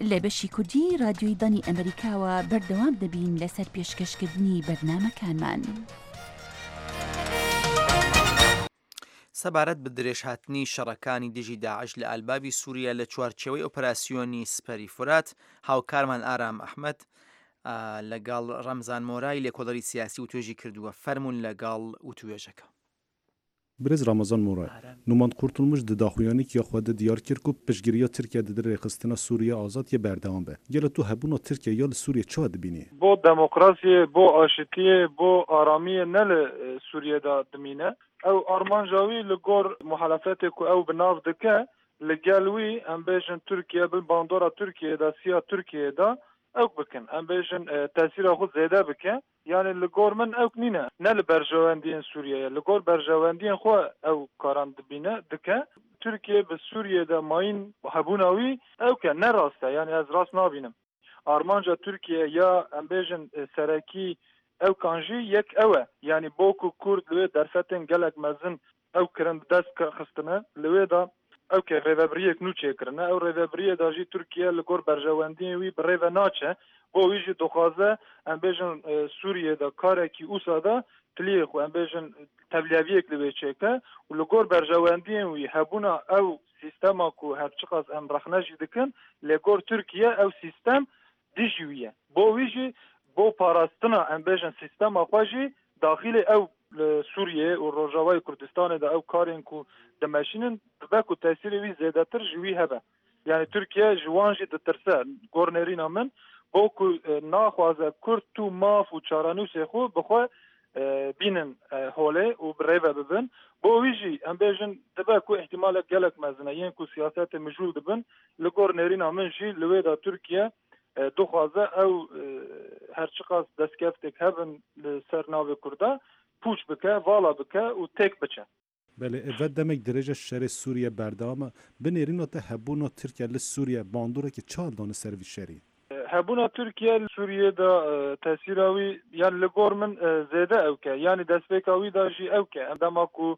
لە بەشی کوردی رادیۆی دەنگی ئەمریکاوە بەردەوام دەبین لەسەر پێشکەشکردنی بەرنامەکانمان. سەبارەت بە درێژهاتنی شەڕەکانی دژی داعش لە ئەلبابی سووریا لە چوارچێوەی ئۆپەراسیۆنی سپەری فورات، هاوکارمان ئارام ئەحمەد لەگەڵ ڕەمزان مۆرای لێکۆڵەری سیاسی وتوێژی کردووە. فەرمونون لەگەڵ وتوێژەکە. Birêz Ramazan Moray, Numan Kurtulmuş di daxuyaniyekî xwe de diyar kir ku piştgiriya Tirkiye di rêxistina Sûriye azad yê berdewam be. Gelo tu hebûna Tirkiye ya li Sûriye çawa dibînî? Bo demokrasiyê, bo aşitiyê, bo aramiyê ne li Sûriye de dimîne. Ew armanca wî li gor muhalefetê ku ew bi nav dike, li gel wî em bêjin Tirkiye bin bandora Tirkiye de, siya Tirkiye de ew bikin. Em bêjin tesîra xwe zêde bike. Yani li gor min ew nîne. Ne li berjewendiyên Sûriyeyê, li gor berjewendiyên xwe ew karan dibîne dike. Türkiye bi Sûriyeyê de mayîn hebûna wî ew ke ne rast e. Yani ez rast nabînim. Armanca Türkiye ya em bêjin serekî ew kan jî yek ew e. Yani bo ku Kurd li wê derfetên gelek mezin ew kirin dest xistine li wê de ew ke rêvebiriyek nû çêkirine. Ew rêvebiriyê de jî Türkiye li gor berjewendiyên wî bi rêve naçe. Bo wî jî dixwaze em bêjin Sûriyê de karekî wisa de tiliyê xwe em bêjin Tevliyeviyek li wê çêke û li gor berjewendiyên wî hebûna ew sîstema ku her çiqas em rexne jî dikin lê gor Tirkiye ew sîstem dijî wî ye. Bo wî jî bo parastina em bêjin sîstema xwe jî daxilê ew li Sûriye û Rojavayê Kurdistanê de ew karên ku dimeşînin dibe ku tesîrê wî zêdetir ji wî hebe. Yani Tirkiye ji wan jî ditirse gor nêrîna min bo ku naxwaze Kurd tu maf û çarenûsê xwe bi xwe bînin holê û bi rêve bibin. Bo wî jî em bêjin dibe ku îhtîmalek gelek mezin e yên ku siyasetê mijûl dibin li gor nêrîna min jî li wê de Tirkiye dixwaze ew her çiqas destkeftek hebin li ser navê Kurda pûç bike, vala bike û têk biçe. Belê ev demek dirêj e şerê Sûriye berdewam e. Bi nêrîna te hebûna Tirkiye li Sûriye bandoreke çi dane ser vî şerî? Hebûna Tirkiye li Sûriye de tesîra wî yan li gor min zêde ew ke yanî destpêka wî da jî ew ke dema ku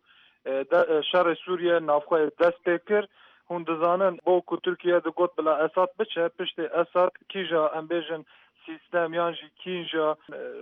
şerê Sûriye navxwe dest pê kir hûn dizanin bo ku Tirkiye digot bila Esad biçe piştê Esad kîja em bêjin sîstem yan jî kînja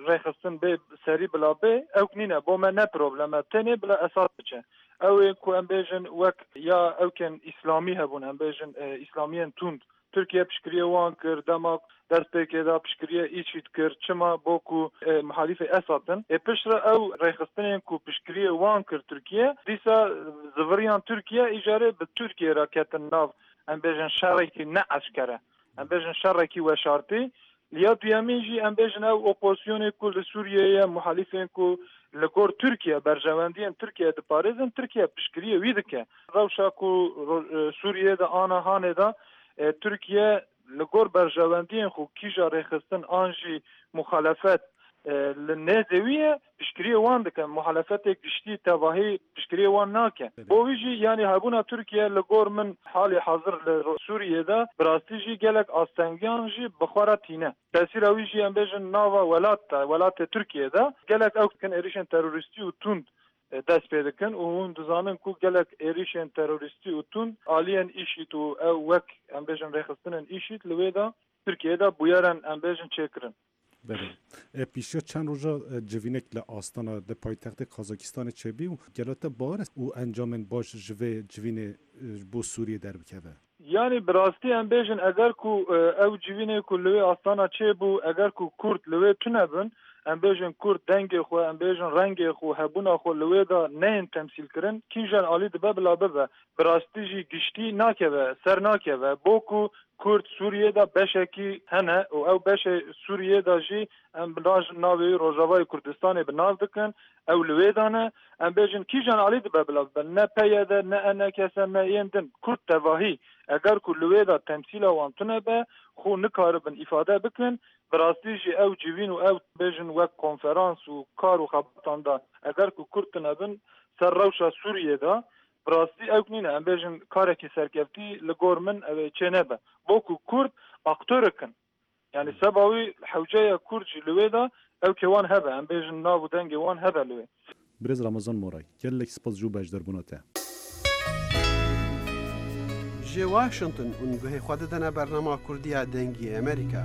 rêxistin bê serî bila bê ew nîne bo me ne problem e tenê bila Esad biçe. Ew ê ku em bêjin wek ya ewkên îslamî hebûn em bêjin îslamiyên tund Tirkiye piştgiriye wan kir dema destpêkê da piştgiriye IŞİD kir çima bo ku muhalîfê Esad in. Ê piştre ew rêxistinên ku piştgiriye wan kir Tirkiye dîsa ziviriyan Tirkiye îcarê bi Tirkiye re ketin nav em bêjin şerekî ne eşkere em bêjin şerekî weşartî. Ya duyemîn jî em bêjin ew opozisyonê ku li Sûriyeyê ye muhalîfên ku li gor Tirkiye berjewendiyên Tirkiye diparêzin Tirkiye piştgiriye wî dike. Rewşa ku Sûriye de ana hanê de Tirkiye li gor berjewendiyên xwe kîja rêxistin an jî muxalefet li nêzê wî ye piştgiriye wan dike. Muhalefetê giştî tevahî piştgiriye wan nake. Bo wî jî yanî hebûna Tirkiye li gor min halê hazir li Sûriyê de bi rastî jî gelek astengiyan jî bi xwe re tîne. Tesîra wî jî em bêjin nava welat de welatê Tirkiye de gelek ew dikin êrişên terorîstî û tund dest pê dikin û hûn dizanin ku gelek êrişên terorîstî û tund aliyên IŞİD û ew wek em bêjin rêxistinên IŞİD li wê de Tirkiye de bûyeran em bêjin çêkirin. Belê. Pîşiya çend roja civînek li Astana di paytextê Kazakistanê çêbî û gelo te bawer û encamên baş ji vê civînê bo Sûriyê derbikeve? Yani bi rastî em bêjin eger ku ew civînê ku li wê Astana çêbû eger ku Kurd li wê tune bin em bêjin Kurd dengê xwe em bêjin rengê xwe hebûna xwe li wê de neyên temsîlkirin kîjan alî dibe bila bibe bi rastî jî giştî nakeve ser nakeve bo ku Kurd Sûriye de beşekî hene û ew beşê Sûriye de jî em bi navê Rojavayê Kurdistanê bi nav dikin ew li wê de ne em bêjin kîjan alî dibe bila bibe ne P Y D ne E N K S ne yên din Kurd tevahî eger ku li wê de temsîla wan tune be xwe nikaribin îfade bikin bi rastî jî ew civîn û ew bêjin wek konferans û kar û xebatan da eger ku Kurd tune bin ser rewşa Sûriyê de bi rastî ew nîne em bêjin karekî serkeftî li gor min ew ê çênebe. Bo ku Kurd aktorek in. Yani seba wî hewceya Kurd jî li wê de ew kê wan hebe em bêjin nav û dengê wan hebe li wê. Birêz Ramazan Moray, gelek spas ji beşdarbûna te. Ji Washington hûn guhê xwe didine bernama Kurdiya Dengê Amerîka.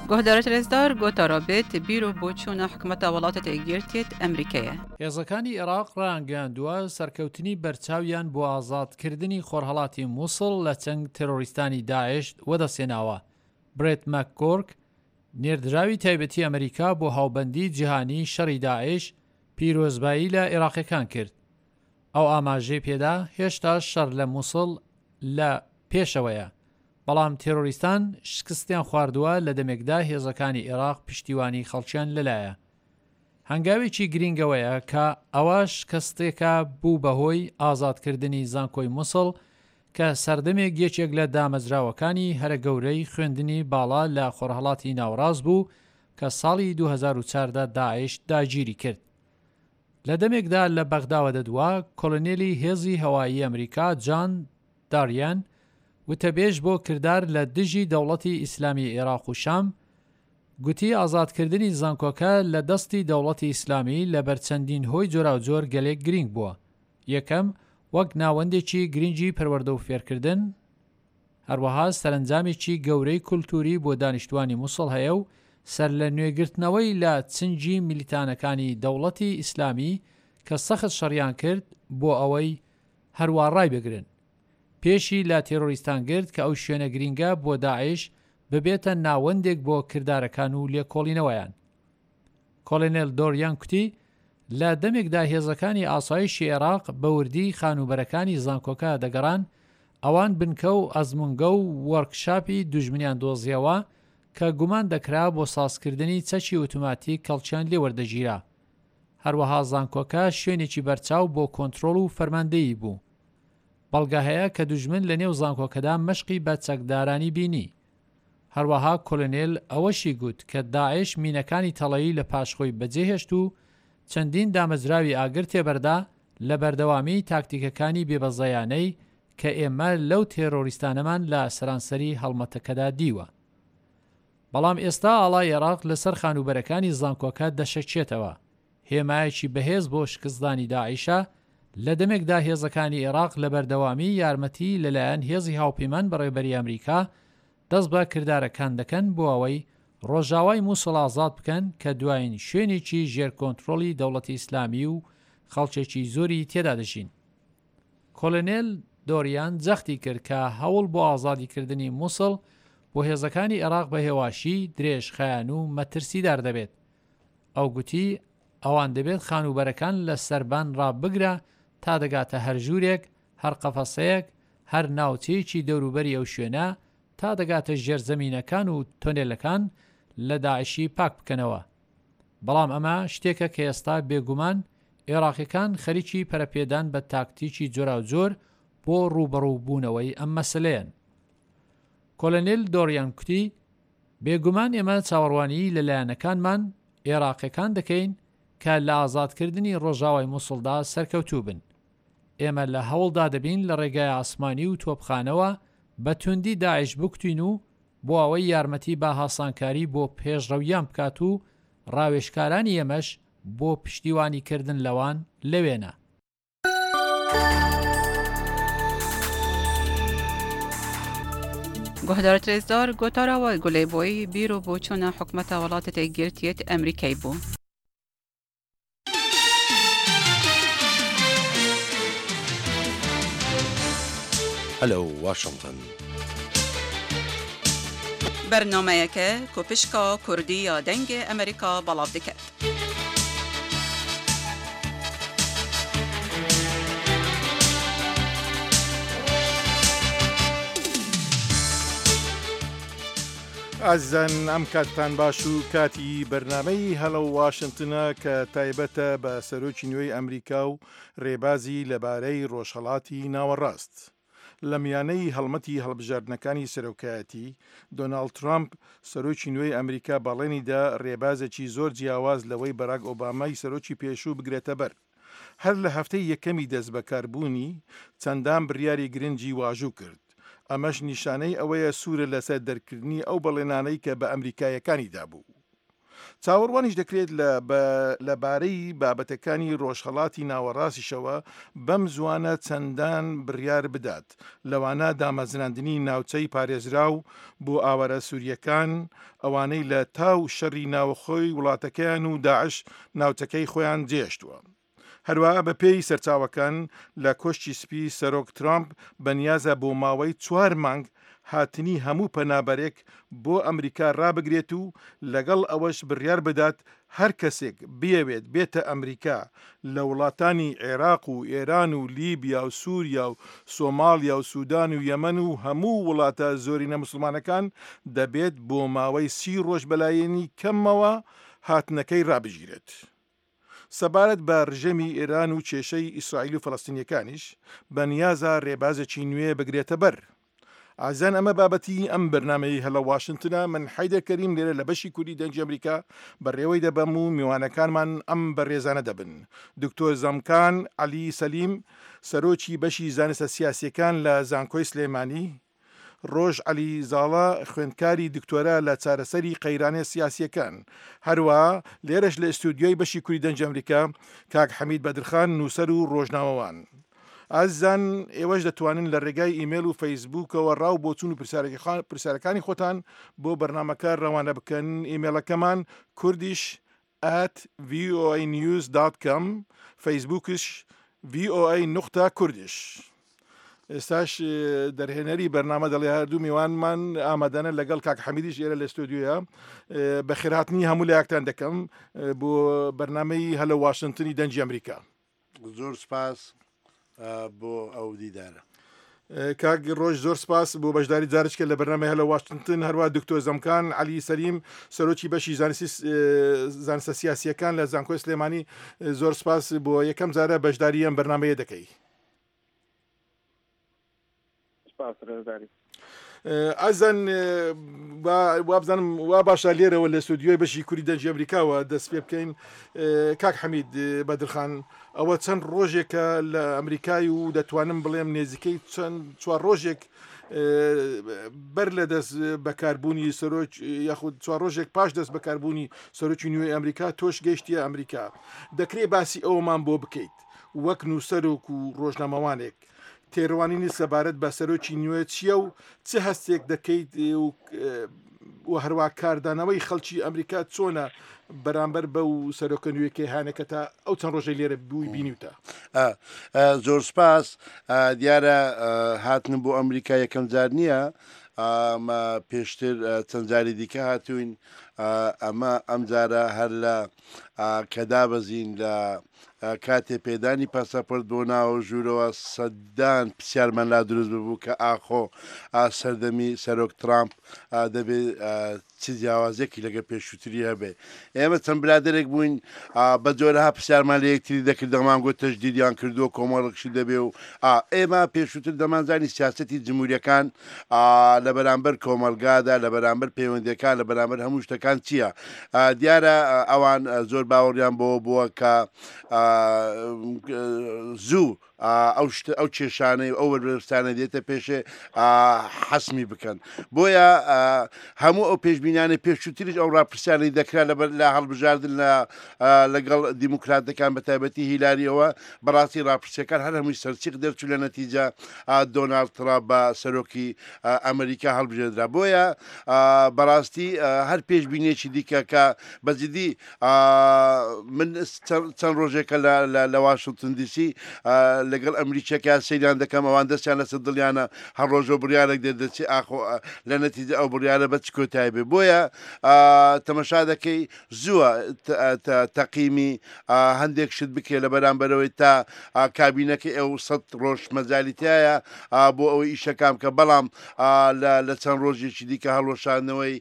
Guhdarê rêzdar gotara bêt bîr û boçûna hikûmeta welatê Yekgirtiyê Amerîkayê. هێزەکانی عێراق ڕایانگەیاندووە سەرکەوتنی بەرچاویان بۆ ئازادکردنی خۆرهەڵاتی مووسڵ لە چەند تێرۆریستانی داعش وەدەستێناوە. برێت ماکگۆرک نێردراوی تایبەتی ئەمریکا بۆ هاوبەندی جیهانی شەڕی داعش پیرۆزبایی لە عێراقیەکان کرد. ئەو ئاماژەی پێدا هێشتا شەڕ لە مووسڵ لە پێشەوەیە، بەڵام تێرۆریستان شکستیان خواردووە لە دەمێکدا هێزەکانی عێراق پشتیوانی خەڵکیان لەلایە. هەنگاوێکی گرنگەوەیە کە ئەوە شکستێکە بوو بەهۆی ئازادکردنی زانکۆی مووسڵ کە سەردەمێک یەکێک لە دامەزراوەکانی هەرە گەورەی خوێندنی باڵا لە خۆرهەڵاتی ناوەڕاست بوو کە ساڵی دوو هەزار و چواردە داعش داگیری کرد. لە دەمێکدا لە بەغداوە دەدووە کۆلۆنێلی هێزی هەوایی ئەمریکا جان داریان وتەبێژ بۆ کردار لە دژی دەوڵەتی ئیسلامی عێراق و شام گوتی ئازادکردنی زانکۆکە لە دەستی دەوڵەتی ئیسلامی لە بەرچەندین هۆی جۆراوجۆر گەلێک گرنگ بووە. یەکەم، وەک ناوەندێکی گرنگی پەروەردە و فێرکردن، هەروەها سەرەنجامێکی گەورەی کولتووری بۆ دانیشتوانی موسڵ هەیە و سەرلەنوێگرتنەوەی لە چنگی میلیتانەکانی دەوڵەتی ئیسلامی کە سەخت شەڕیان کرد بۆ ئەوەی هەروا ڕایبگرن. پێشی لە تێرۆریستان گرت کە ئەو شوێنە گرینگە بۆ داعش ببێتە ناوەندێک بۆ کردارەکان و لێکۆڵینەوەیان. کۆلێنێل دۆریان کوتی لە دەمێکدا هێزەکانی ئاسایشی عێراق بە وردی خانووبەرەکانی زانکۆکە دەگەڕان، ئەوان بنکە و ئەزمونگە و وۆرکشاپی دوژمنیان دۆزیەوە کە گومان دەکرا بۆ سازکردنی چەکی ئۆتۆماتیک کەڵکیان لێوەردەگیرا. هەروەها زانکۆکە شوێنێکی بەرچاو بۆ کۆنترۆڵ و فەرماندەیی بوو. بەڵگە هەیە کە دوژمن لە نێو زانکۆکەدا مەشقی بە چەکدارانی بینی. هەروەها کۆلۆنێل ئەوەشی گوت کە داعش مینەکانی تەڵەیی لە پاش خۆی بەجێهێشت و چەندین دامەزراوی ئاگر تێبەردا لە بەردەوامی تاکتیکەکانی بێبەزەیانەی کە ئێمە لەو تێرۆریستانەمان لە سەرانسەری هەڵمەتەکەدا دیوە. بەڵام ئێستا ئاڵای عێراق لەسەر خانووبەرەکانی زانکۆکە دەشەکێتەوە. هێمایەکی بەهێز بۆ شکستدانی داعشە لە دەمێکدا هێزەکانی عێراق لە بەردەوامی یارمەتی لەلایەن هێزی هاوپەیمان بەڕێبەری ئەمریکا دەست بە کردارەکان دەکەن بۆ ئەوەی ڕۆژاوای موسڵ ئازاد بکەن کە دوایین شوێنێکی ژێر کۆنترۆڵی دەوڵەتی ئیسلامی و خەڵکێکی زۆری تێدا دەژین. کۆلۆنێل دۆریان جەختی کرد کە هەوڵ بۆ ئازادیکردنی موسڵ بۆ هێزەکانی عێراق بە هێواشی درێژخایەن و مەترسیدار دەبێت. ئەو گوتی ئەوان دەبێت خانووبەرەکان لە سەربان ڕابگرە تا دەگاتە هەر ژوورێک، هەر قەفەسەیەک، هەر ناوچەیەکی دەوروبەری ئەو شوێنە تا دەگاتە ژێرزەمینەکان و تۆنێلەکان لە داعشی پاک بکەنەوە. بەڵام ئەمە شتێکە کە ئێستا بێگومان عێراقیەکان خەریکی پەرەپێدان بە تاکتیکی جۆراوجۆر بۆ ڕووبەڕووبوونەوەی ئەم مەسلەیەن. کۆلۆنێل دۆریان کوتی بێگومان ئێمە چاوەڕوانی لە لایەنەکانمان عێراقیەکان دەکەین کە لە ئازادکردنی ڕۆژاوای موسڵدا سەرکەوتوو بن. ئێمە لە هەوڵدا دەبین لە ڕێگای ئاسمانی و تۆپخانەوە بە توندی داعش بکوتین و بۆ ئەوەی یارمەتی بە هاسانکاری بۆ پێشڕەویان بکات و ڕاوێژکارانی ئێمەش بۆ پشتیوانیکردن لەوان لەوێنە. گۆهدارت رێزدار گۆتارەوە گولەی بۆی بیر و بۆچوونە حکومەتە وڵاتە یەکگرتیەت ئەمریکای بوو. Hello Washington. بەرنامەیەکە کۆپشکا کوردی یا دەنگ ئەمریکا بەڵاو دەکات. ئازیزان ئەم کاتتان باش و کاتی بەرنامەی هەلۆ واشنگتنە کە تایبەتە بە سەرۆکی نوێی ئەمریکا و ڕێبازی لەبارەی ڕۆژهەڵاتی ناوەڕاست. لە میانەی هەڵمەتی هەڵبژاردنەکانی سەرۆکایەتی، دۆناڵد ترامپ سەرۆکی نوێی ئەمریکا بەڵێنیدا ڕێبازێکی زۆر جیاواز لەوەی بەراک ئۆبامای سەرۆکی پێشوو بگرێتە بەر. هەر لە هەفتەی یەکەمی دەستبەکاربوونی چەندان بڕیاری گرنگی واژوو کرد. ئەمەش نیشانەی ئەوەیە سوورە لەسەر دەرکردنی ئەو بەڵێنانەی کە بە ئەمریکایەکانی دابوو. چاوەڕوانیش دەکرێت لەبارەی بابەتەکانی ڕۆژهەڵاتی ناوەڕاستیشەوە بەم زوانە چەندان بڕیار بدات، لەوانە دامەزراندنی ناوچەی پارێزراو بۆ ئاوارە سووریەکان، ئەوانەی لە تاو شەڕی ناوەخۆی وڵاتەکەیان و داعش ناوچەکەی خۆیان جێهێشتووە. هەروەها بە پێی سەرچاوەکان لە کۆشکی سپی سەرۆک ترامپ بەنیازە بۆ ماوەی چوار مانگ هاتنی هەموو پەنابەرێک بۆ ئەمریکا ڕابگرێت و لەگەڵ ئەوەش بڕیار بدات هەر کەسێک بیەوێت بێتە ئەمریکا لە وڵاتانی عێراق و ئێران و لیبیا و سووریا و سۆماڵیا و سودان و یەمەن و هەموو وڵاتە زۆرینە مسلمانەکان دەبێت بۆ ماوەی سی ڕۆژ بەلایەنی کەمەوە هاتنەکەی ڕابگیرێت. سەبارەت بە ڕژێمی ئێران و کێشەی ئیسرائیل و فەلەستینیەکانیش بەنیازە ڕێبازێکی نوێ بگرێتە بەر. ئازیزان ئەمە بابەتی ئەم بەرنامەی هەلە واشنگتنە. من حەیدەر کەریم لێرە لە بەشی کوردی دەنگی ئەمریکا بەڕێوەی دەبەم و میوانەکانمان ئەم بەڕێزانە دەبن: دکتۆر زەمکان عەلی سەلیم سەرۆکی بەشی زانستە سیاسیەکان لە زانکۆی سلێمانی، ڕۆژ عەلی زاڵە خوێندکاری دکتۆرا لە چارەسەری قەیرانە سیاسیەکان، هەروەها لێرەش لە ئستودیۆی بەشی کوردی دەنگی ئەمریکا کاک حەمید بەدرخان نووسەر و ڕۆژنامەوان. ئازیزان ئێوەش دەتوانن لە ڕێگای ئیمێل و فەیسبووکەوە ڕاو بۆچوون و پرسیارەکانی خۆتان بۆ بەرنامەکە ڕەوانە بکەن. ئیمێلەکەمان Kurdish at V O A news dot com، فەیسبووکش V O A نوقتە Kurdish. ئێستاش دەرهێنەری بەرنامە دەڵێ هەردوو میوانمان ئامادەنە لەگەڵ کاک حەمیدیش ئێرە لە ستۆدیۆیە. بەخێرهاتنی هەموو لایەکتان دەکەم بۆ بەرنامەی هەلە واشنگتنی دەنگی ئەمریکا. زۆر سپاس بۆ ئەو دیدارە. کاک ڕۆژ زۆر سپاس بۆ بەشداری جارشکە لە بەرنامەی هەلە واشنگتن. هەروە دکتۆر زەمکان عەلی سەلیم سەرۆکی بەشی زانستە سیاسیەکان لە زانکۆی سلێمانی زۆر سپاس بۆ یەکەم جارە بەشداری ئەم بەرنامەیە دەکەی. ئازان وابزانم وا باشە لێرەوە لە ستۆدیۆی بەشی کوری دەنگی ئەمریکاوە دەست پێ بکەین. کاک حەمید بەدرخان، ئەوە چەند ڕۆژێکە لە ئەمریکای و دەتوانم بڵێم نێزیکەی چەند چوار ڕۆژێک بەر لە دەست بەکاربوونی سەرۆک یاخود چوار ڕۆژێک پاش دەست بەکاربوونی سەرۆکی نوێی ئەمریکا تۆش گەیشتیە ئەمریکا. دەکرێت باسی ئەومان بۆ بکەیت وەک نووسەرۆک و ڕۆژنامەوانێک تێڕوانینی سەبارەت بە سەرۆکی نوێ چییە و چه هەستێک دەکەیت و هەروە کاردانەوەی خەڵکی ئەمریکا چۆنە بەرامبەر بە و سەرۆکە نوێکەی هانەکە تا ئەو چەند ڕۆژەی لێرە بووی بینیوتە؟ زۆر سپاس. دیارە هاتنم بۆ ئەمریکا یەکەم جار نییە، ئەمە پێشتر چەند جاری دیکە هاتوین. ئەمە ئەم جارە هەر لە کە دابەزین لە کاتێ پێدانی پاساپۆرت بۆ ناوە ژوورەوە سەدان پرسیارمان لا دروست ببوو کە ئاخۆ سەردەمی سەرۆک ترامپ دەبێت چ جیاوازێکی لەگە پێشووتری هەبێ. ئێمە چەند برادێک بووین بە جۆرەها پرسیارمان لە یەکتری دەکرد، دەمان گوت تەجدیدیان کردووە کۆمەڵێکشی دەبێ و ئێمە پێشووتر دەمانزانی سیاسەتی جمهوریەکان لە بەرامبەر کۆمەلگادا، لە بەرامبەر پەیوەندیەکان، لە بەرامبەر هەموو شتەکان چییە. دیارە ئەوان زۆر باوەڕیان بۆ بووە کە زوو ئەو ئەو کێشانەی ئەو بەرپرسانە دێتە پێشێ حەسمی بکەن. بۆیە هەموو ئەو پێشبینانە پێشووتریش ئەو ڕاپرسیانەی دەکرا لەبەر لە هەڵبژاردن لەگەڵ دیموکراتەکان بە تایبەتی هیلاریەوە، بەڕاستی ڕاپرسیەکان هەر هەمووی سەرچیق دەرچوو لە نەتیجە دۆناڵد ترامپ بە سەرۆکی ئەمریکا هەڵبژێردرا. بۆیە بەڕاستی هەر پێشبینێکی دیکە کە بەجددی من چەند ڕۆژێکە لە واشنگتن دیسی لەگەڵ ئەمریکیەکە سەیریان دەکەم، ئەوان دەستیان لەسەر دڵیانە هەر ڕۆژە بڕیارێک دەردەچێ ئاخۆ لە نەتیجە ئەو بڕیارە بە چ کۆتایی بێ. بۆیە تەمەشا دەکەی زووە تەقیمی هەندێک شت بکرێ لە بەرامبەرەوەی تا کابینەکەی ئەو سەد ڕۆژ مەجالیتایە بۆ ئەوەی ئیشەکان بکە. بەڵام لە چەند ڕۆژێکی دیکە هەڵوەشاندنەوەی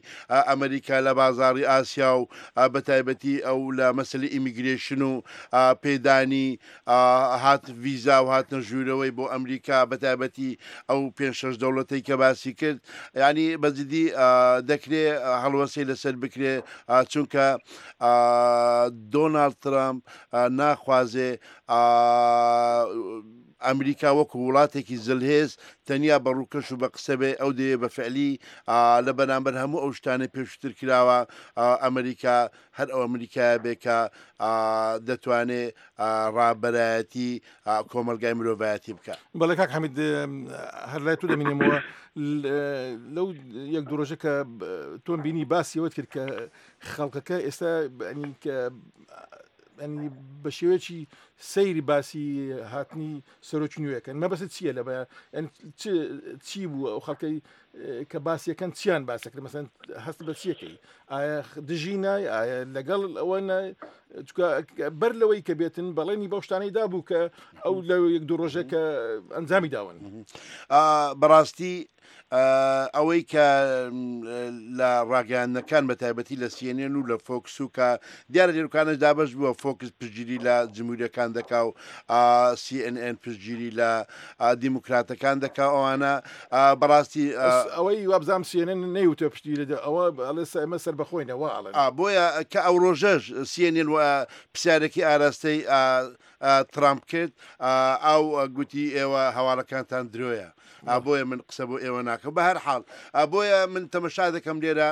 ئەمریکا لە بازاڕی ئاسیا و بە تایبەتی ئەو لە مەسەلەی immigration و پێدانی هات ڤیزا و هاتنە ژوورەوەی بۆ ئەمریکا بە تایبەتی ئەو پێنج شەش دەوڵەتەی کە باسی کرد، یعنی بەجددی دەکرێ هەڵوەسەی لەسەر بکرێ، چونکە دۆناڵد ترامپ ناخوازێ ئەمریکا وەکو وڵاتێکی زلهێز تەنیا بە ڕووکەش و بە قسە بێ، ئەو دەیە بە فعلی لە بەرامبەر هەموو ئەو شتانەی پێشتر کراوە ئەمریکا هەر ئەو ئەمریکایە بێ کە دەتوانێ ڕابەرایەتی کۆمەلگای مرۆڤایەتی بکە. بەڵێ کاک حەمید، هەر لای تۆ دەمینێمەوە لەو یەک دوو ڕۆژە کە تۆم بینی باسیەوەت کرد کە خەڵکەکە ئێستا بە شێوەیەکی سەیری باسی هاتنی سەرۆکی نوێەکەن، مەبەست چییە لە چی بوو ئەو خەڵکەی کە باسیەکەن چیان باسەکرد؟ مەسەن هەست بە چیەکەی؟ ئایا دژی نای؟ ئایا لەگەڵ ئەوە نای؟ چونکە بەر لەوەی کە بێتن بەڵێنی بەو شتانەی دابوو کە ئەو لە یەک دوو ڕۆژە کە ئەنجامی داون. بەڕاستی ئەوەی کە لە ڕاگەیاندنەکان بە تایبەتی لە C N N و لە فۆکس و کە دیارە لێرکانش دابەش بووە، فۆکس پشتگیری لە جمهوریەکان دەکا و C N N پشتگیری لە دیموکراتەکان دەکا. ئەوانە بەڕاستی ئەوەی وابزانام C N N نەیوتوە پشتگیری ئەوە ئەڵێ ئێمە سەر بەخۆینەوە ئەڵێن. بۆیە کە ئەو ڕۆژەش C N N پرسیارێکی ئاراستەی ترامپ کرد، ئەو گوتی ئێوە هەواڵەکانتان درۆیە، بۆیە من قسە بۆ ئێوە ناکەم. بە هەر حاڵ بۆیە من تەمەشا دەکەم لێرە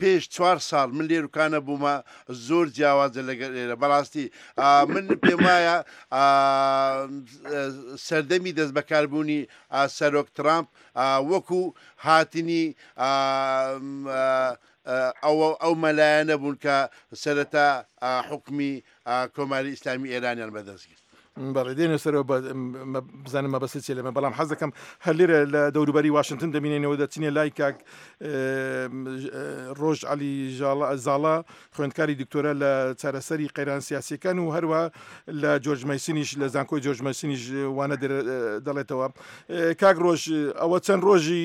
پێش چوار ساڵ من لێروکانە بوومە زۆر جیاوازە لەگەر ئێرە. بەڕاستی من پێم وایە سەردەمی دەست بەکاربوونی سەرۆک ترامپ وەکو هاتنی ئەو ئەو مەلایەنە بوون کە سەرەتا حکومی کۆماری ئیسلامی ئێرانیان بەدەست گرت. بەڵێ دێنە سەرەوە بزانم مەبەست چیە لەمە، بەڵام حەز دەکەم هەر لێرە لە دەوروبەری واشنگتن دەبینینەوە دەچینە لای کاک ڕۆژ عەلی زاڵا خوێندکاری دکتۆرە لە چارەسەری قەیران سیاسیەکان و هەروە لە جۆرج مەیسنیش لە زانکۆی جۆرج مەیسنیش وانە دەڵێتەوە. کاک ڕۆژ، ئەوە چەند ڕۆژی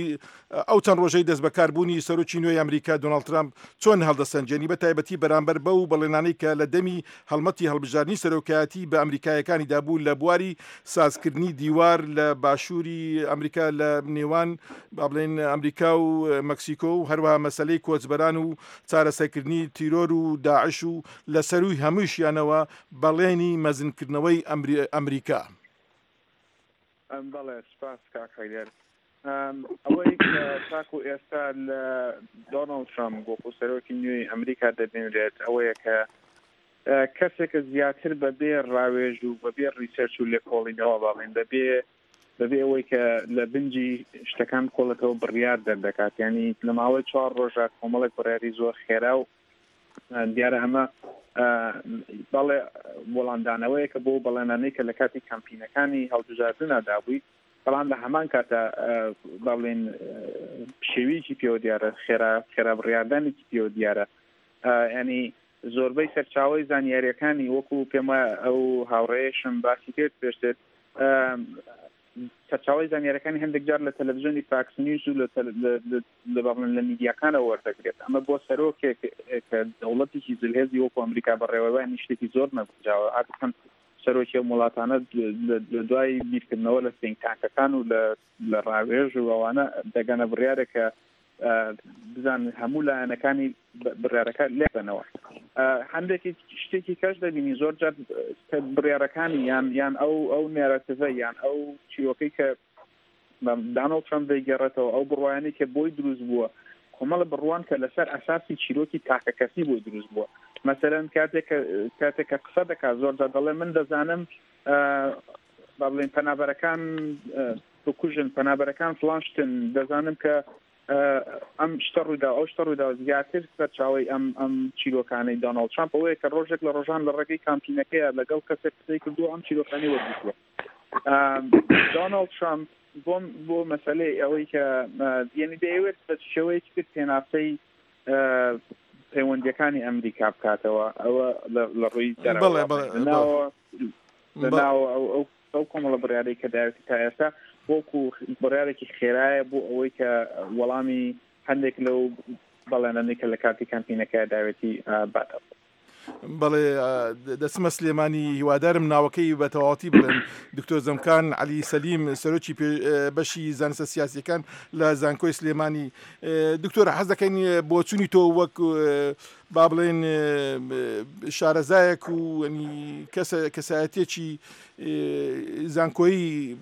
ئەو چەند ڕۆژەی دەست بەکاربوونی سەرۆکی نوێی ئەمریکا دۆناڵد ترامپ چۆن هەڵدەسەنجێنی، بە تایبەتی بەرامبەر بەو بەڵێنانەی کە لە دەمی هەڵمەتی هەڵبژاردنی سەرۆکایەتی بە ئەمریکایەکانی دابوو لە بواری سازکردنی دیوار لە باشووری ئەمریکا لە نێوان با بڵێن ئەمریکا و مەکسیکۆ و هەروەها مەسلەی کۆچبەران و چارەسەرکردنی تیرۆر و داعش و لە سەرووی هەمووشیانەوە بەڵێنی مەزنکردنەوەی ئەمریکا. بەڵێ سپاس کاک حەیدەر. ئەوەی کە تاکو ئێستا لە دۆناڵد ترامپ وەکو سەرۆکی نوێی ئەمریکا دەبینرێت ئەوەیە کە کەسێکە زیاتر بەبێ ڕاوێژ و بەبێ ڕیسێرچ و لێکۆڵینەوە باڵێن بەبێ بەبێ ئەوەی کە لە بنجی شتەکان بکۆڵێتەوە بڕیار دەردەکات. ینی لە ماوەی چوار ڕۆژە کۆمەڵێک بڕیاری زۆر خێرا و دیارە ئەمە بەڵێ وەڵامدانەوەیە کە بۆ بەڵێنانەی کە لە کاتی کەمپینەکانی هەڵبژاردندا دابووی، بەڵام لە هەمان کاتە با بڵێن پشێویەکی پێوە دیارە، خێرا خێرا بڕیاردانێکی پێوە دیارە. ینی زۆربەی سەرچاوەی زانیاریەکانی وەکو پێم وایە ئەو هاوڕێیشم باسی کرد پێشتر، سەرچاوەی زانیاریەکانی هەندێک جار لە تەلەڤیزیۆنی فاکس نیوز و لە با بڵێن لە میدیاکانەوە وەردەگرێت. ئەمە بۆ سەرۆکێک کە دەوڵەتێکی زلهێزی وەکو ئەمریکا بەڕێوەبەرانی شتێکی زۆر نەگونجاوە. عادەتەن سەرۆکی ئەم وڵاتانە لە دوای بیرکردنەوە لە think tank ەکان و لە ڕاوێژ و ئەوانە دەگەنە بڕیارێک کە بزان هەموو لایەنەکانی بڕیارەکە لێبنەوە. هەندێکی شتێکی کەش دەبینی زۆر جار بڕیارەکانی یان یان ئەو ئەو narrative ە یان ئەو چیرۆکەی کە دانۆڵد ترامپ دەیگەڕێتەوە، ئەو بڕوایانەی کە بۆی دروست بووە، کۆمەڵە بڕوان کە لەسەر ئەساسی چیرۆکی تاکەکەسی بۆی دروست بووە. مەسەلەن کاتێک کاتێک کە قسە دەکات زۆر جار دەڵێ من دەزانم با بڵێن پەنابەرەکان بکوژن، پەنابەرەکان فڵان شتن، دەزانم کە ئەم شتە ڕوویدا ئەو شتە ڕوویدا. زیاتر سەرچاوەی ئەم ئەم چیرۆکانەی دۆناڵد ترامپ ئەوەیە کە ڕۆژێک لە ڕۆژان لە ڕێگەی کامپینەکەیە لەگەڵ کەسێک قسەی کردووە ئەم چیرۆکانی وەرگرتووە. دۆناڵد ترامپ بۆ بۆ مەسەلەی ئەوەی کە یعنی دەیەوێت بە شێوەیەکی تر پێناسەی پەیوەندیەکانی ئەمریکا بکاتەوە، ئەوە لە ڕووی دەرەوە لەناوە ئەو ئەو کۆمەڵە بڕیارەی کە داوێتی تا ئێستا وەکو بڕیارێکی خێرایە بۆ ئەوەی کە وەڵامی هەندێک لەو بەڵێنانەی کە لە کاتی کامپینەکە داوێتی باتەوە. بەڵێ دەچمە سلێمانی، هیوادارم ناوەکەی بە تەواوەتی بڵێن. دکتۆر زەمکان عەلی سەلیم سەرۆکی بەشی زانستە سیاسیەکان لە زانکۆی سلێمانی. دکتۆر حەز دەکەین بۆچوونی تۆ وەک با بڵێن شارەزایەک و کەسایەتێکی زانکۆیی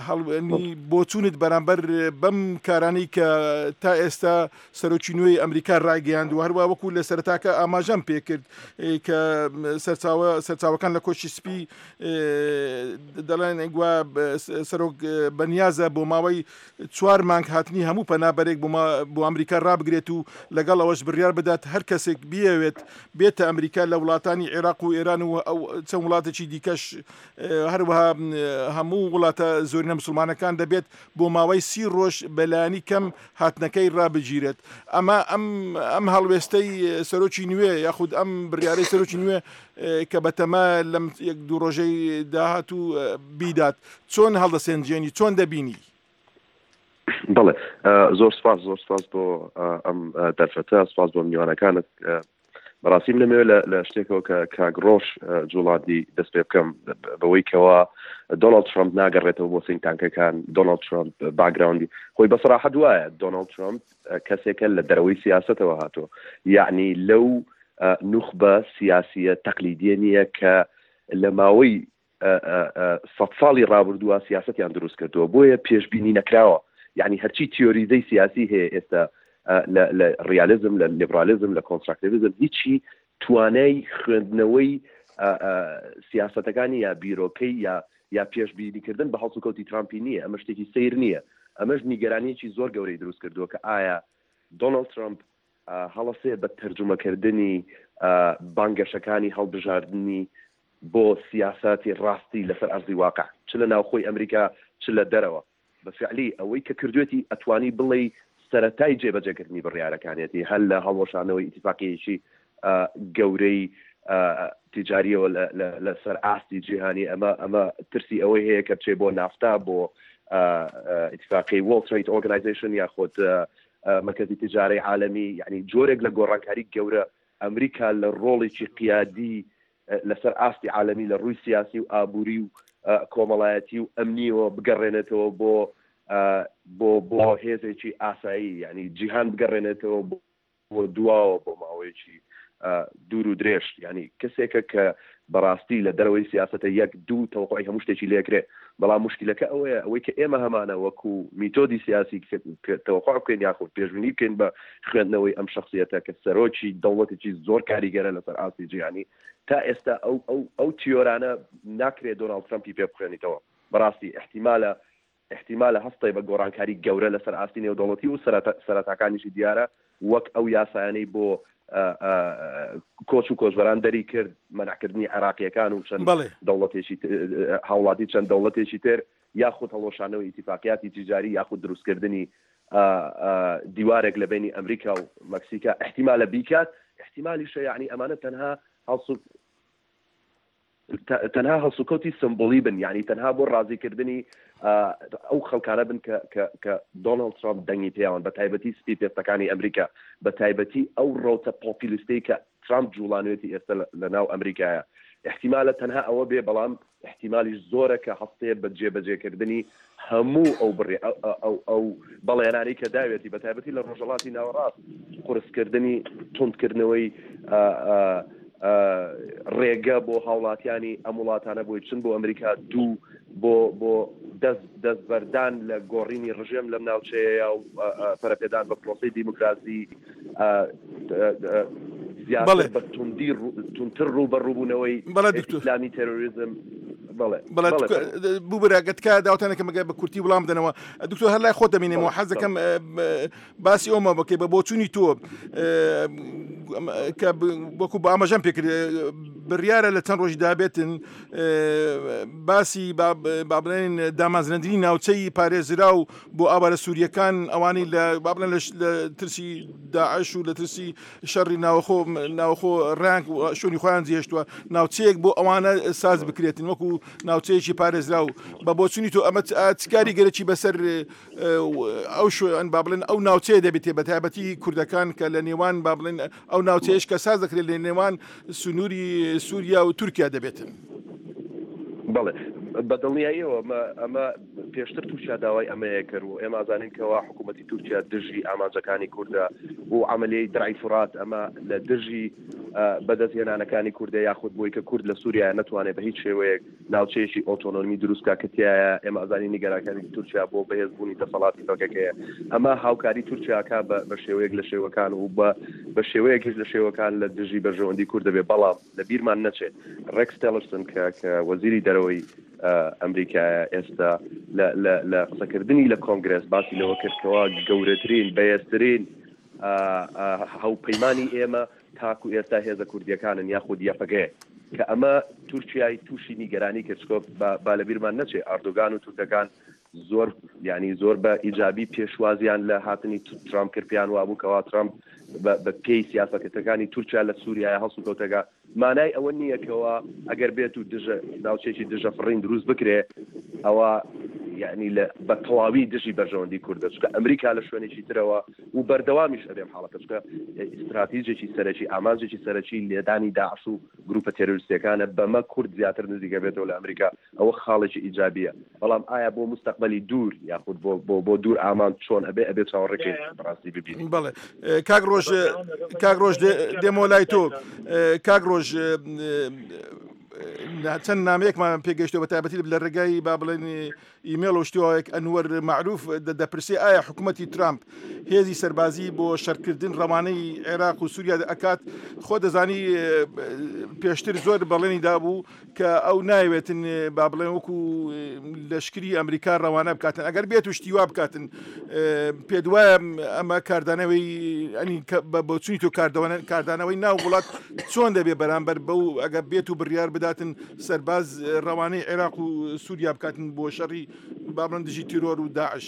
هەڵوێنی بۆچوونت بەرامبەر بەم کارانەی کە تا ئێستا سەرۆکی نوێی ئەمریکا ڕایگەیاند و هەروە وەکو لە سەرەتاکە ئاماژەم پێکرد کە سەرچاوەکان لە کۆشکی سپی دەڵێن گوا سەرۆک بەنیازە بۆ ماوەی چوار مانگ هاتنی هەموو پەنابەرێک بۆ ئەمریکا ڕابگرێت و لەگەڵ ئەوەش بڕیار بدات هەر کەسێک بیەوێت بێتە ئەمریکا لە وڵاتانی عێراق و ئێران و چەند وڵاتێکی دیکەش هەروەها هەموو وڵاتە زۆرینە مسلمانەکان دەبێت بۆ ماوەی سی ڕۆژ بەلایەنی کەم هاتنەکەی ڕابگیرێت. ئەمە ئەم ئەم هەڵوێستەی سەرۆکی نوێ یاخود ئەم بڕیارەی سەرۆکی نوێ کە بەتەما لەم یەک دوو ڕۆژەی داهاتوو بیدات چۆن هەڵدەسێنجێنی، چۆن دەبینی؟ بەڵێ زۆر سپاس، زۆر سپاس بۆ ئەم دەرفەتە، سپاس بۆ میوانەکانت. بەڕاستی من نەمەوێت لە شتێکەوە کە کاک ڕۆژ جوڵاندی دەست پێ بکەم بەوەی کەوا دۆناڵد ترامپ ناگەڕێتەوە بۆ think tank ەکان. دۆناڵد ترامپ background ی خۆی بەسەراحەت وایە دۆناڵد ترامپ کەسێکە لە دەرەوەی سیاسەتەوە هاتووە، یعنی لەو نوخبە سیاسیە تەقلیدیە نییە کە لە ماوەی سەد ساڵی ڕابردووە سیاسەتیان دروست کردووە، بۆیە پێشبینی نەکراوە. یعنی هەرچی تیۆریزەی سیاسی هەیە ئێستا لە ڕیالیزم، لە لیبرالیزم، لە کۆنستراکتیڤیزم، هیچی توانای خوێندنەوەی سیاسەتەکانی یا بیرۆکەی یا یا پێشبینیکردن بە هەڵسوکەوتی ترامپی نییە. ئەمە شتێکی سەیر نییە. ئەمەش نیگەرانیەکی زۆر گەورەی دروست کردووە کە ئایا دۆناڵد ترامپ هەڵەسێ بە تەرجومەکردنی بانگەشەکانی هەڵبژاردنی بۆ سیاساتی ڕاستی لەسەر ئەرزی واقع، چ لە ناوخۆی ئەمریکا چ لە دەرەوە. بە فعلی ئەوەی کە کردوێتی ئەتوانی بڵێی سەرەتای جێبەجێکردنی بڕیارەکانیەتی، هەر لە هەڵوەشانەوەی ئیتیفاقیەکی گەورەی تیجاریەوە لەسەر ئاستی جیهانی. ئەمە ئەمە ترسی ئەوەی هەیە کە بچێ بۆ نافتا، بۆ ئیتیفاقی World Trade Organization یاخود مەرکەزی تیجارەی عالەمی، یعنی جۆرێک لە گۆڕانکاری گەورە ئەمریکا لە ڕۆڵێکی قیادی لەسەر ئاستی عالەمی لە ڕووی سیاسی و ئابووری و کۆمەڵایەتی و ئەمنیەوە بگەڕێنێتەوە بۆ بۆ بۆ هێزێکی ئاسایی، یعنی جیهان بگەڕێنێتەوە بۆ دواوە بۆ ماوەیەکی دوور و درێژ. یعنی کەسێکە کە بەڕاستی لە دەرەوەی سیاسەتە یەک دوو تەوەقعی هەموو شتێکی لێکرێ، بەڵام مشکلەکە ئەوەیە ئەوەی کە ئێمە هەمانە وەکو میتۆدی سیاسی کە تەوەقع بکەین یاخود پێشبینی بکەین بە خوێندنەوەی ئەم شخصیەتە کە سەرۆکی دەوڵەتێکی زۆر کاریگەرە لەسەر ئاستی جیهانی، تا ئێستا ئەو ئەو ئەو تیۆرانە ناکرێت دۆناڵد ترەمپی پێ بخوێنیتەوە. بەڕاستی احتیمالە احتیمالە هەستەی بە گۆڕانکاری گەورە لەسەر ئاستی نێودەوڵەتی و سەرەتاکانیشی دیارە، وەک ئەو یاسایانەی بۆ کۆچ و کۆچبەران دەری کرد، مەنعکردنی عێراقیەکان و چەند دەوڵەتێکی هاوڵاتی چەند دەوڵەتێکی تر، یاخود هەڵۆشانەوەی ئیتیفاقیاتی تیجاری، یاخود دروستکردنی دیوارێک لە بینی ئەمریکا و مەکسیکا احتیمالە بیکات. احتیمالیشە یعنی ئەمانە تەنها هەڵسو تەنها هەڵسوکەوتی سمبولی بن، یعنی تەنها بۆ ڕازیکردنی ئەو خەڵکانە بن کە کە کە دۆناڵد ترامپ دەنگی پێیاون، بە تایبەتی سپی پێستەکانی ئەمریکا، بە تایبەتی ئەو ڕەوتە پۆپیلیستەی کە ترامپ جوڵانوێتی ئێستا لە ناو ئەمریکایە. احتیمالە تەنها ئەوە بێ، بەڵام احتیمالیش زۆرە کە هەستێ بە جێبەجێکردنی هەموو ئەو بڕێ ئەو ئەو بەڵێنانەی کە داوێتی، بە تایبەتی لە ڕۆژهەڵاتی ناوەڕاست، قورسکردنی توندکردنەوەی ڕێگە بۆ هاوڵاتیانی ئەم وڵاتانە بۆی بچن بۆ ئەمریکا، دوو بۆ بۆ دەست دەستبەردان لە گۆڕینی ڕژێم لەم ناوچەیە و پەرەپێدان بە پرۆسەی دیموکراسی، زیاتر بە توندی توندتر ڕووبەڕووبوونەوەی ئیسلامی تێرۆریزم. بەڵێ بەڵێ ببورە ئەگەر تکایە داوەتانەکەم ئەگەر بە کورتی وڵام بدەنەوە. دکتۆر هەر لای خۆت دەمینێمەوە، حەز دەکەم باسی ئەومە بکەی بە بۆچوونی تۆ کە وەکو بە ئاماژەم پێکرد بڕیارە لە چەند ڕۆژی دابێتن باسی با بڵێن دامەزراندنی ناوچەی پارێزراو بۆ ئاوارە سووریەکان، ئەوانەی لە با بڵێن لە ترسی داعش و لە ترسی شەڕی ناوخۆ ناوخۆ ڕانک شوێنی خۆیان جێهێشتووە، ناوچەیەک بۆ ئەوانە ساز بکرێتن وەکو ناوچەیەکی پارێزراو. بە بۆچوونی تۆ ئەمە چ کاریگەرێکی بەسەر ئەو شوێن با بڵێن ئەو ناوچەیە دەبێت، بە تایبەتی کوردەکان کە لە نێوان با بڵێن ئەو ناوچەیەش کە ساز دەکرێت لە نێوان سنووری سووریا و تورکیا دەبێتن؟ بەڵێ بە دڵنیاییەوە ئەمە پێشتر تورکیا داوای ئەمەیە کرد و ئێمە زانین کەوا حکوومەتی تورکیا دژی ئامانجەکانی کوردە و عملیەی درعی فورات ئەمە لە دژی بەدەستهێنانەکانی کوردە، یاخود بۆی کە کورد لە سووریا نەتوانێت بە هیچ شێوەیەک ناوچەیەکی ئۆتۆنۆمی دروست بکات کە تیایە. ئێمە ئەزانین نیگەرانەکانی تورکیا بۆ بەهێزبوونی دەسەڵاتی پەکەکەیە. ئەمە هاوکاری تورکیاکە بە شێوەیەک لە شێوەکان و بە شێوەیەکیش لە شێوەکان لە دژی بەرژەوەندی کورد دەبێت. بەڵام لە بیرمان نەچێت ڕێکس تێلرسن کە کە وەزیری دەرەوەی ئەمریکایە ئێستا لە قسەکردنی لە کۆنگرێس باسی لەوە کرد کەوا گەورەترین بەهێزترین هاوپەیمانی ئێمە تاکو ئێستا هێزە کوردیەکانن یاخود یەپەگەیە، کە ئەمە تورکیای تووشی نیگەرانی کرد. چکۆ با لەبیرمان نەچێ ئەردۆگان و تورکەکان زۆر یعنی زۆر بە ئیجابی پێشوازیان لە هاتنی ترامپ کرد، پێیان وابوو کەوا ترامپ بە پێی سیاسەتەکانی تورکیا لە سووریای هەڵسوکەوتەکە. مانای ئەوە نییە کەوا ئەگەر بێت و دژە ناوچێکی دژە فڕین دروست بکرێ ئەوە یعنی لە بە تەواوی دژی بەرژەوەندی کوردە، چونکە ئەمریکا لە شوێنێکی ترەوە و بەردەوامیش ئەبێم حاڵەتە، چونکە ئیستراتیژێکی سەرەکی ئامانجێکی سەرەکی لێدانی داعش و گروپە تێرۆریستیەکانە. بەمە کورد زیاتر نزیکە بێتەوە لە ئەمریکا، ئەوە خاڵێکی ئیجابیە. بەڵام ئایا بۆ مستەقبەلی دوور یاخود بۆ بۆ بۆ دوور ئامان چۆن ئەبێ ئەبێ چاوەڕێکەین بەڕاستی ببینین. بەڵێ کاک ڕۆژ کاک ڕۆژ دێمەوە لای تۆ. کاک ڕۆژ چەند نامەیەکمان پێگەیشتەوە بە تایبەتی لە ڕێگای با بڵێن ئیمێڵ و شتیوایەک ئەنوەر مەعروف دەپرسێ ئایا حکوومەتی ترامپ هێزی سەربازی بۆ شەرکردن ڕەوانەی عێراق و سووریا ئەکات؟ خۆ دەزانی پێشتر زۆر بەڵێنی دابوو کە ئەو ناوێتن با بڵێن وەکو لەشکری ئەمریکا ڕەوانە بکاتن، ئەگەر بێت و شتی وا بکاتن پێت وایە ئەمە کاردانەوەی ئەنی بە بۆچوونی تۆ کاردانەوەی ناو وڵات چۆن دەبێ بەرامبەر بەو ئەگەر بێت و بڕیار بداتن سەرباز ڕەوانەی عێراق و سووریا بکاتن بۆ شەڕی با بڵێن دژی تیرۆر و داعش؟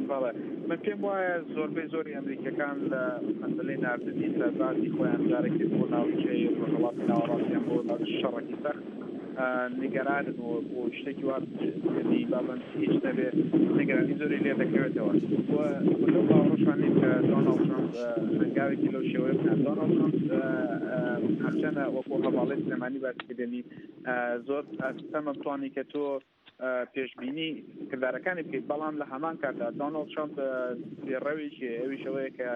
بەڵێ من پێم وایە زۆربەی زۆری ئەمریکەکان لە مەسەلەی ناردنی سەربازی خۆیان جارێکی بۆ ناوچەی ڕۆژهەڵاتی ناوەڕاستیان بۆ شەڕێکی سەخت نیگەرانن و بۆ شتێکی وا بابن هیچ نەبێ نیگەرانی زۆری لێ دەکەوێتەوە و لەو باوەڕشان نیم کە دۆناڵد ترامپ هەنگاوێکی لەو شێوەیە بکات. دۆناڵد ترامپ هەرچەنە وەکو هەواڵی سلێمانی باسی کردنی زۆر ئەستەمە بتوانی کە تۆ پێشبینی کردارەکانی بکەیت، بەڵام لە هەمان کاتدا دۆناڵد ترامپ پێڕەوێکی ئەویش ئەوەیە کە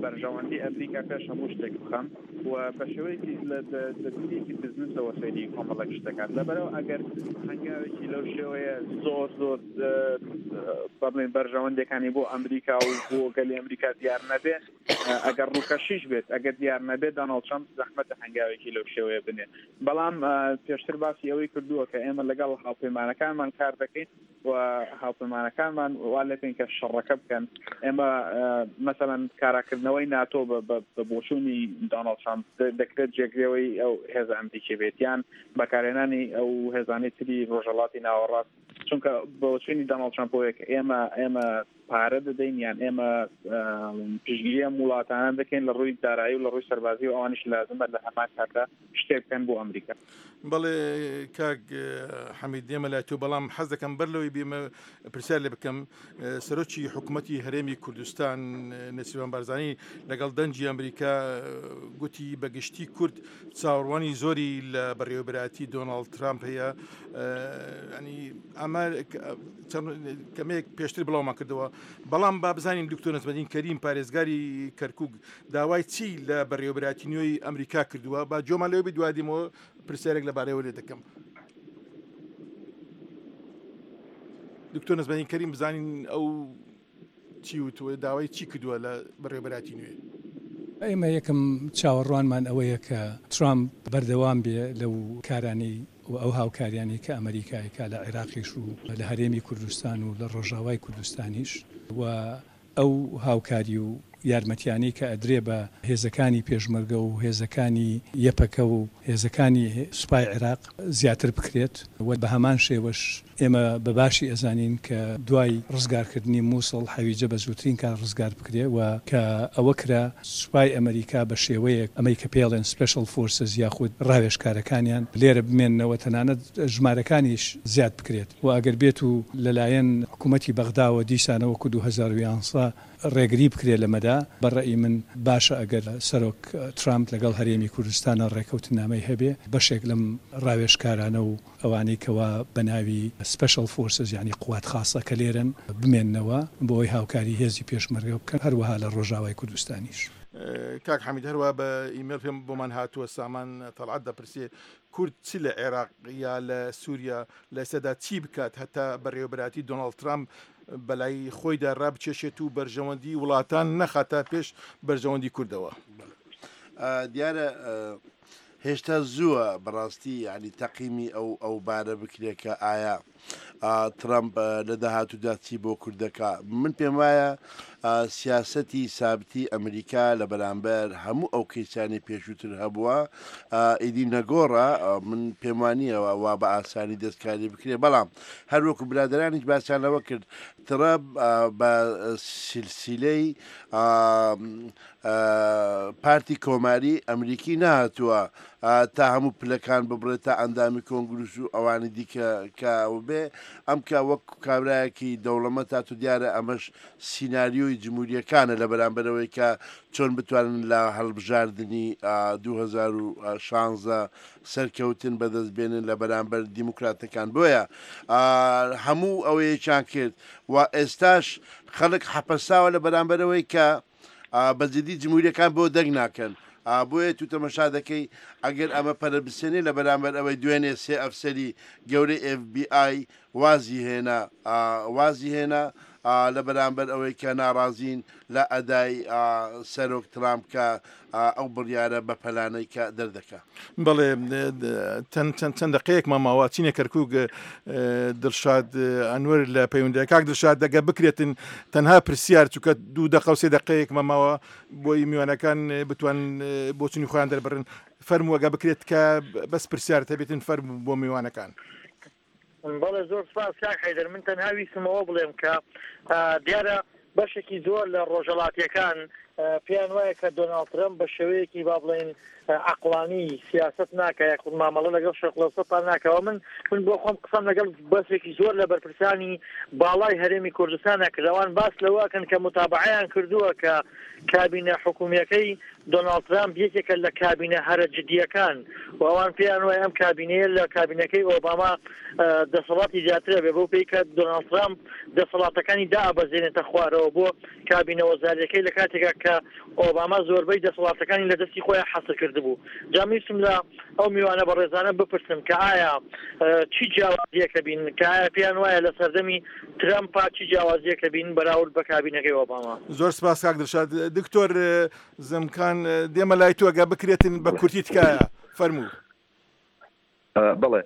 بەرژەوەندی ئەمریکا پێش هەموو شتێک بخەم و بە شێوەیەکی لە دیدێکی بزنسەوە سەیری کۆمەڵێک شت دەکات. لەبەرەوە ئەگەر هەنگاوێکی لەو شێوەیە زۆر زۆر بە بڵێن بەرژەوەندیەکانی بۆ ئەمریکا و بۆ گەلی ئەمریکا دیار نەبێ، ئەگەر ڕووکەشیش بێت ئەگەر دیار نەبێت دۆناڵد ترامپ زەحمەتە هەنگاوێکی لەو شێوەیە بنێ. بەڵام پێشتر باسی ئەوەی کردووە کە ئێمە لەگەڵ هاوپەیمانەکانمان کار دەکەین و هاوپەیمانەکانمان وا لێکەین کە شەڕەکە بکەن. ئێمە مەسەڵەن کاراکردنەوەی ناتۆ بە بۆچوونی دۆناڵد ترامپ دەکرێت جێگرەوەی ئەو هێزە ئەمریکی بێت یان بەکارهێنانی ئەو هێزانەی تری ڕۆژهەڵاتی ناوەڕاست، چونکە بۆچوونی دۆناڵد ترامپ بۆیە کە ئێمە ئێمە پارە دەدەین یان ئێمە پشتگیری ئەم وڵاتانە دەکەین لە ڕووی دارایی و لە ڕووی سەربازی و ئەوانیش لازمە لە هەمان کاتدا شتێک بکەن بۆ ئەمریکا. بەڵێ کاک حەمید دێمە لای تۆ، بەڵام حەز دەکەم بەر لەوەی بێمە پرسیار لێ بکەم. سەرۆکی حکوومەتی هەرێمی کوردستان نێچیرڤان بارزانی لەگەڵ دەنگی ئەمریکا گوتی بەگشتی کورد چاوەڕوانی زۆری لە بەڕێوەبەرایەتی دۆناڵد ترامپ هەیە. ینی ئەمە کەمێک پێشتر بڵاومان کردەوە، بەڵام با بزانین دکتۆر نەجمەدین کەریم پارێزگاری کەرکوک داوای چی لە بەڕێوەبەرایەتی نوێی ئەمریکا کردووە؟ با جۆمان لەوێ بێت دوای دیمەوە پرسیارێک لەبارەیەوە لێ دەکەم. دکتۆر نەجمەدین کەریم بزانین ئەو چی وتووە، داوای چی کردووە لە بەڕێوەبەرایەتی نوێ؟ ئێمە یەکەم چاوەڕوانمان ئەوەیە کە ترامپ بەردەوام بێ لەو کارانەی و ئەو هاوکاریانەی کە ئەمریکایەکە لە عێراقیش و لە هەرێمی کوردستان و لە ڕۆژاوای کوردستانیش و ئەو هاوکاری و یارمەتیانەی کە ئەدرێ بە هێزەکانی پێشمەرگە و هێزەکانی یەپەکە و هێزەکانی سوپای عێراق زیاتر بکرێت و بە هەمان شێوەش ئێمە بە باشی ئەزانین کە دوای ڕزگارکردنی مووسڵ حەویجە بە زووترین کار ڕزگار بکرێ و کە ئەوە کرا سوپای ئەمریکا بە شێوەیەک ئەمەی کە پێڵێن special forces یاخود ڕاوێژکارەکانیان لێرە بمێننەوە، تەنانەت ژمارەکانیش زیاد بکرێت و ئەگەر بێت و لەلایەن حکوومەتی بەغداوە دیسانەوە وەکو دوو هەزار و یانزە ڕێگری بکرێت لەمەدا، بە ڕەئی من باشە ئەگەر سەرۆک ترامپ لەگەڵ هەرێمی کوردستانە ڕێکەوتنامەی هەبێ بەشێک لەم ڕاوێژکارانە و ئەوانەی کەوا بە ناوی special forces یعنی قوات خاصە کە لێرن بمێننەوە بۆ ئەوەی هاوکاری هێزی پێشمەرگە بکەن، هەروەها لە ڕۆژاوای کوردستانیش. کاک حەمید هەروە بە ئیمێڵ پێم بۆمان هاتووە سامان تەڵعەت دەپرسێ کورد چ لە عێراق یا لە سووریا لە ئێستادا چی بکات هەتا بەڕێوەبەرایەتی دۆناڵد ترامپ بەلای خۆیدا ڕابچێشێت و بەرژەوەندی وڵاتان نەخاتە پێش بەرژەوەندی کوردەوە؟ دیارە هێشتا زووە بەڕاستی یعنی تەقیمی ئەو ئەو بارە بکرێت کە ئایا ترامپ لە داهاتوودا چی بۆ کوردەکە. من پێم وایە سیاسەتی سابتی ئەمریکا لە بەرامبەر هەموو ئەو کەیسانی پێشووتر هەبووە ئیدی نەگۆڕە. من پێم وانییەوە وا بە ئاسانی دەستکاری بکرێت، بەڵام هەروەکو برادرانیش باسیان لەوە کرد ترامپ بە سلسلەی پارتی کۆماری ئەمریکی نهاتووە تا هەموو پلەکان ببڕێت تا ئەندامی کۆنگرس و ئەوانی دیکە کە بێ ئەم کە وەک کابرایەکی دەوڵەمەند تا تو دیارە ئەمەش سیناریۆی جمهوریەکانە لە بەرامبەرەوەی کە چۆن بتوانن لە هەڵبژاردنی دوو هەزار و شانزە سەرکەوتن بەدەست بێنن لە بەرامبەر دیموکراتەکان. بۆیە هەموو ئەوەیەکیان کرد و ئێستاش خەڵک حەپەساوە لە بەرامبەرەوەی کە بە جدی جمهوریەکان بۆ دەنگ ناکەن. بۆیە تو تەمەشا دەکەی ئەگەر ئەمە پەرە بسێنێ لە بەرامبەر ئەوەی دوێنێ سێ ئەفسەری گەورەی ئێف بی ئای وازی هێنا وازی هێنا لە بەرامبەر ئەوەی کە ناڕازین لە ئەدای سەرۆک ترامپ کە ئەو بڕیارە بە پەلانەی کە دەردەکا. بەڵێ چەند چەند دقەیەکمان ماوە چینە کەرکوک دڵشاد ئەنوەر لە پەیوەندی کاک دڵشاد دەگە بکرێتن تەنها پرسیار چونکە دوو دقە و سێ دقەیەکمان ماوە بۆی میوانەکان بتوان بۆچونی خۆیان دەربڕن. فەرمووەگە بکرێت کە بەس پرسیارت هەبێتن فەرموو بۆ میوانەکان. بەڵێ زۆر سپاس کاک حەیدەر. من تەنها ویستمەوە بڵێم کە دیارە بەشێکی زۆر لە ڕۆژهەڵاتیەکان پێیان وایە کە دۆناڵد ترەمپ بە شێوەیەکی با بڵێین عەقڵانی سیاسەت ناکە یاخود مامەڵە لەگەڵ شەرقلەوسەتا ناکەوە. من من بۆ خۆم قسەم لەگەڵ بەشێکی زۆر لە بەرپرسانی باڵای هەرێمی کوردستانە کردوان باس لەوەکەن کە متابعەیان کردووە کە کابینە حکومیەکەی دۆناڵد ترەمپ یەکێکە لە کابینە هەرە جدیەکان و ئەوان پێیان وایە ئەم کابینەیە لە کابینەکەی ئۆباما دەسەڵاتی زیاترە بێ بەو پێی کە دۆناڵد ترەمپ دەسەڵاتەکانی دابەزێنێتە خوارەوە بۆ کابینە وەزاریەکەی لە کاتێکا کە ئۆباما زۆربەی دەسەڵاتەکانی لە دەستی خۆیان حەسر کردبوو. جا میویستم لە ئەو میوانە بەڕێزانە بپرسم کە ئایا چی جیاوازیەکە بین، کە ئایا پێیان وایە لە سەردەمی ترەمپا چی جیاوازیەکە بین بەراورد بە کابینەکەی ئۆباما؟ زۆر سپاس کاک دڵشاد. دکتۆر زمکان دێمە لای تۆ ئەگە بکرێتن بە کورتی تکایە فەرموو. بەڵێ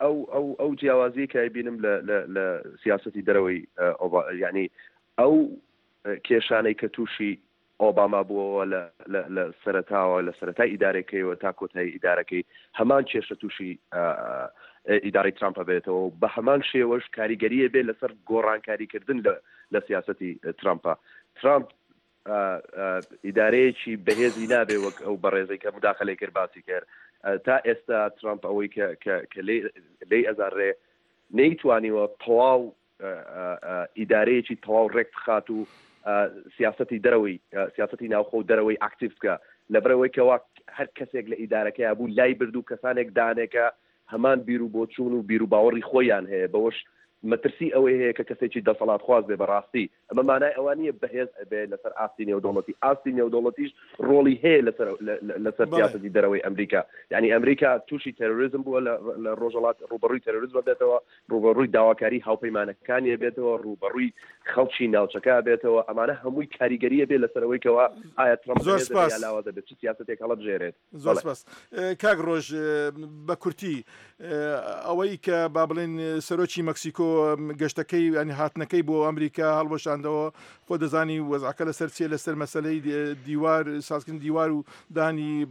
ئەو ئەو ئەو جیاوازیە کە بینم لە لە سیاسەتی دەرەوەی یعنی ئەو کێشانەی کە تووشی ئۆباما بووەوە لە سەرەتاوە لە سەرەتای ئیدارەکەیەوە تا کۆتایی ئیدارەکەی هەمان کێشە تووشی ئیدارەی ترامپ بێتەوە و بە هەمان شێوەش کاریگەریە بێ لەسەر گۆڕانکاریکردن لە سیاسەتی ترامپە. ترامپ ئیدارەیەکی بەهێزی نابێ وەک ئەو بەڕێزەی کە مداخلەی کرد باسی کرد. تا ئێستا ترامپ ئەوەی کە لێی ئەزانرێ نەیتوانیوە تەواو ئیدارەیەکی تەواو ڕێک بخات و سیاسەتی دەرەوەی سیاسەتی ناوخۆ و دەرەوەی ئاکتیڤ بکە، لەبەرەوەی کەوا هەر کەسێک لە ئیدارەکەیا بوو لای برد و کەسانێک دانێکە هەمان بیر و بۆچوون و بیر و باوەڕی خۆیان هەیە، بەوەش مەترسی ئەوەی هەیە کە کەسێکی دەسەڵاتخواز بێ. بەڕاستی ئەمە مانای ئەوە نییە بەهێز بێ لەسەر ئاستی نێودەوڵەتی، ئاستی نێودەوڵەتیش ڕۆڵی هەیە لەسەر لەسەر سیاسەتی دەرەوەی ئەمریکا. یعنی ئەمریکا تووشی تێرۆریزم بووە لە ڕۆژهەڵات، ڕووبەڕووی تێرۆریزم بێتەوە، ڕووبەڕووی داواکاری هاوپەیمانەکانی بێتەوە، ڕووبەڕووی خەڵکی ناوچەکە بێتەوە. ئەمانە هەمووی کاریگەریە بێ لەسەر ئەوەی کەوا ئایا ترەمپ زۆر سپاس لاواز دەبێت چ سیاسەتێک هەڵبژێرێت. زۆر سپاس کاک ڕۆژ. بە کورتی ئەوەی کە با بڵێن سەرۆکی مەکسیکۆ گەشتەکەی ینی هاتنەکەی بۆ ئەمریکا هەڵوەشاندەوە، خۆ دەزانی وەزعەکە لەسەر چیە، لەسەر مەسلەی دیوار سازکردن دیوار و دانی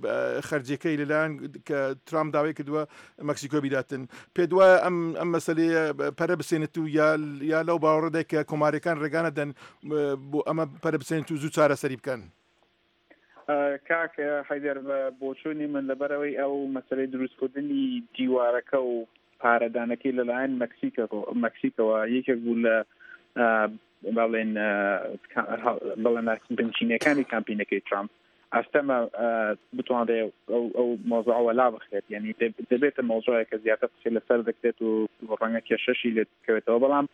خەرجیەکەی لەلایەن کە ترامپ داوای کردووە مەکسیکۆ بیداتن. پێ دوایە ئەم ئەم مەسلەیە پەرە بسێنێت و یا یا لەو باوەڕەدای کە کۆماریەکان ڕێگانە دەن بۆ ئەمە پەرە بسێنێت و زوو چارەسەری بکەن؟ کاک حەیدەر، بە بۆچوونی من لەبەرەوەی ئەو مەسلەی دروستکردنی دیوارەکە و پارەدانەکەی لەلایەن مەکسیکەوە یەکێک بوو لە بەڵێن بەڵێن بنچینەکانی کامپینەکەی ترامپ، ئەستەمە بتوانرێ ئەو مۆزوعەوە لا بخرێت. یعنی دەبێتە مۆزوعێک کە زیاتر قسەی لەسەر دەکرێت و ڕەنگە کێشەشی لێ بکەوێتەوە. بەڵام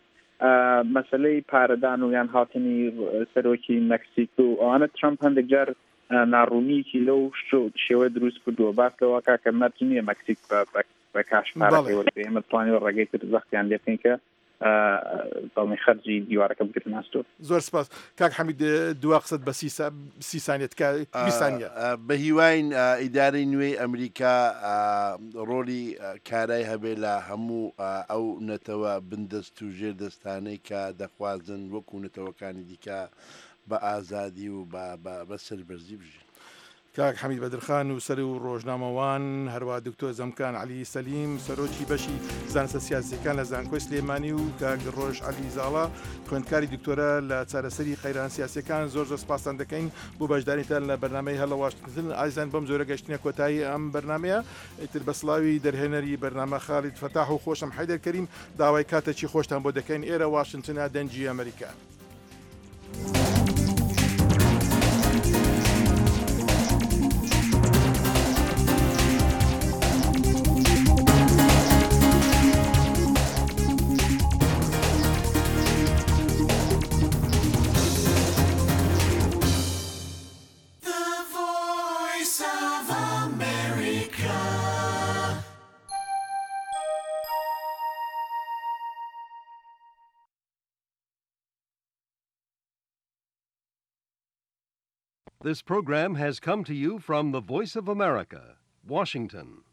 مەسلەی پارەدان و یان هاتنی سەرۆکی مەکسیک و ئەوانە ترامپ هەندێک جار ناڕوونیەکی لەو شێوە دروست کردووە. باس لەوە کاکە مەرج نییە مەکسیک بە کاش پارەکەی وەرگرێت، ئێمە توانیوە ڕێگەی تر زەختیان لێ بکەین کە بەڵێ خەرجی دیوارەکە بگرن ئەستۆ. زۆر سپاس کاک حەمید. دوا قسەت بە سی سانیە کە بیست سانیە. بە هیواین ئیدارەی نوێی ئەمریکا ڕۆڵی کارای هەبێ لە هەموو ئەو نەتەوە بندەست و ژێر دەستانەی کە دەخوازن وەکو نەتەوەکانی دیکە بە ئازادی و بە سەربەرزی بژین. کاک حەمید بەدرخان و سەر و ڕۆژنامەوان، هەروە دکتۆر زەمکان عەلی سەلیم سەرۆکی بەشی زانستە سیاسیەکان لە زانکۆی سلێمانی و کاک ڕۆژ عەلی زاڵا خوێندکاری دکتۆرە لە چارەسەری قەیران سیاسیەکان. زۆر زۆر سپاستان دەکەین بۆ بەشداریتان لە بەرنامەی هەلە واشنگتن. ئازیزان بەم زۆرە گەشتنە کۆتایی ئەم بەرنمەیە. ئیتر بە سڵاوی دەرهێنەری بەرنامە خالید فەتاح و خۆشم حەیدەر کەریم داوای کاتێکی خۆشتان بۆ دەکەین. ئێرە واشنگتنە، دەنگی ئەمریکا. The Voice America. This program has come to you from the Voice of America, Washington.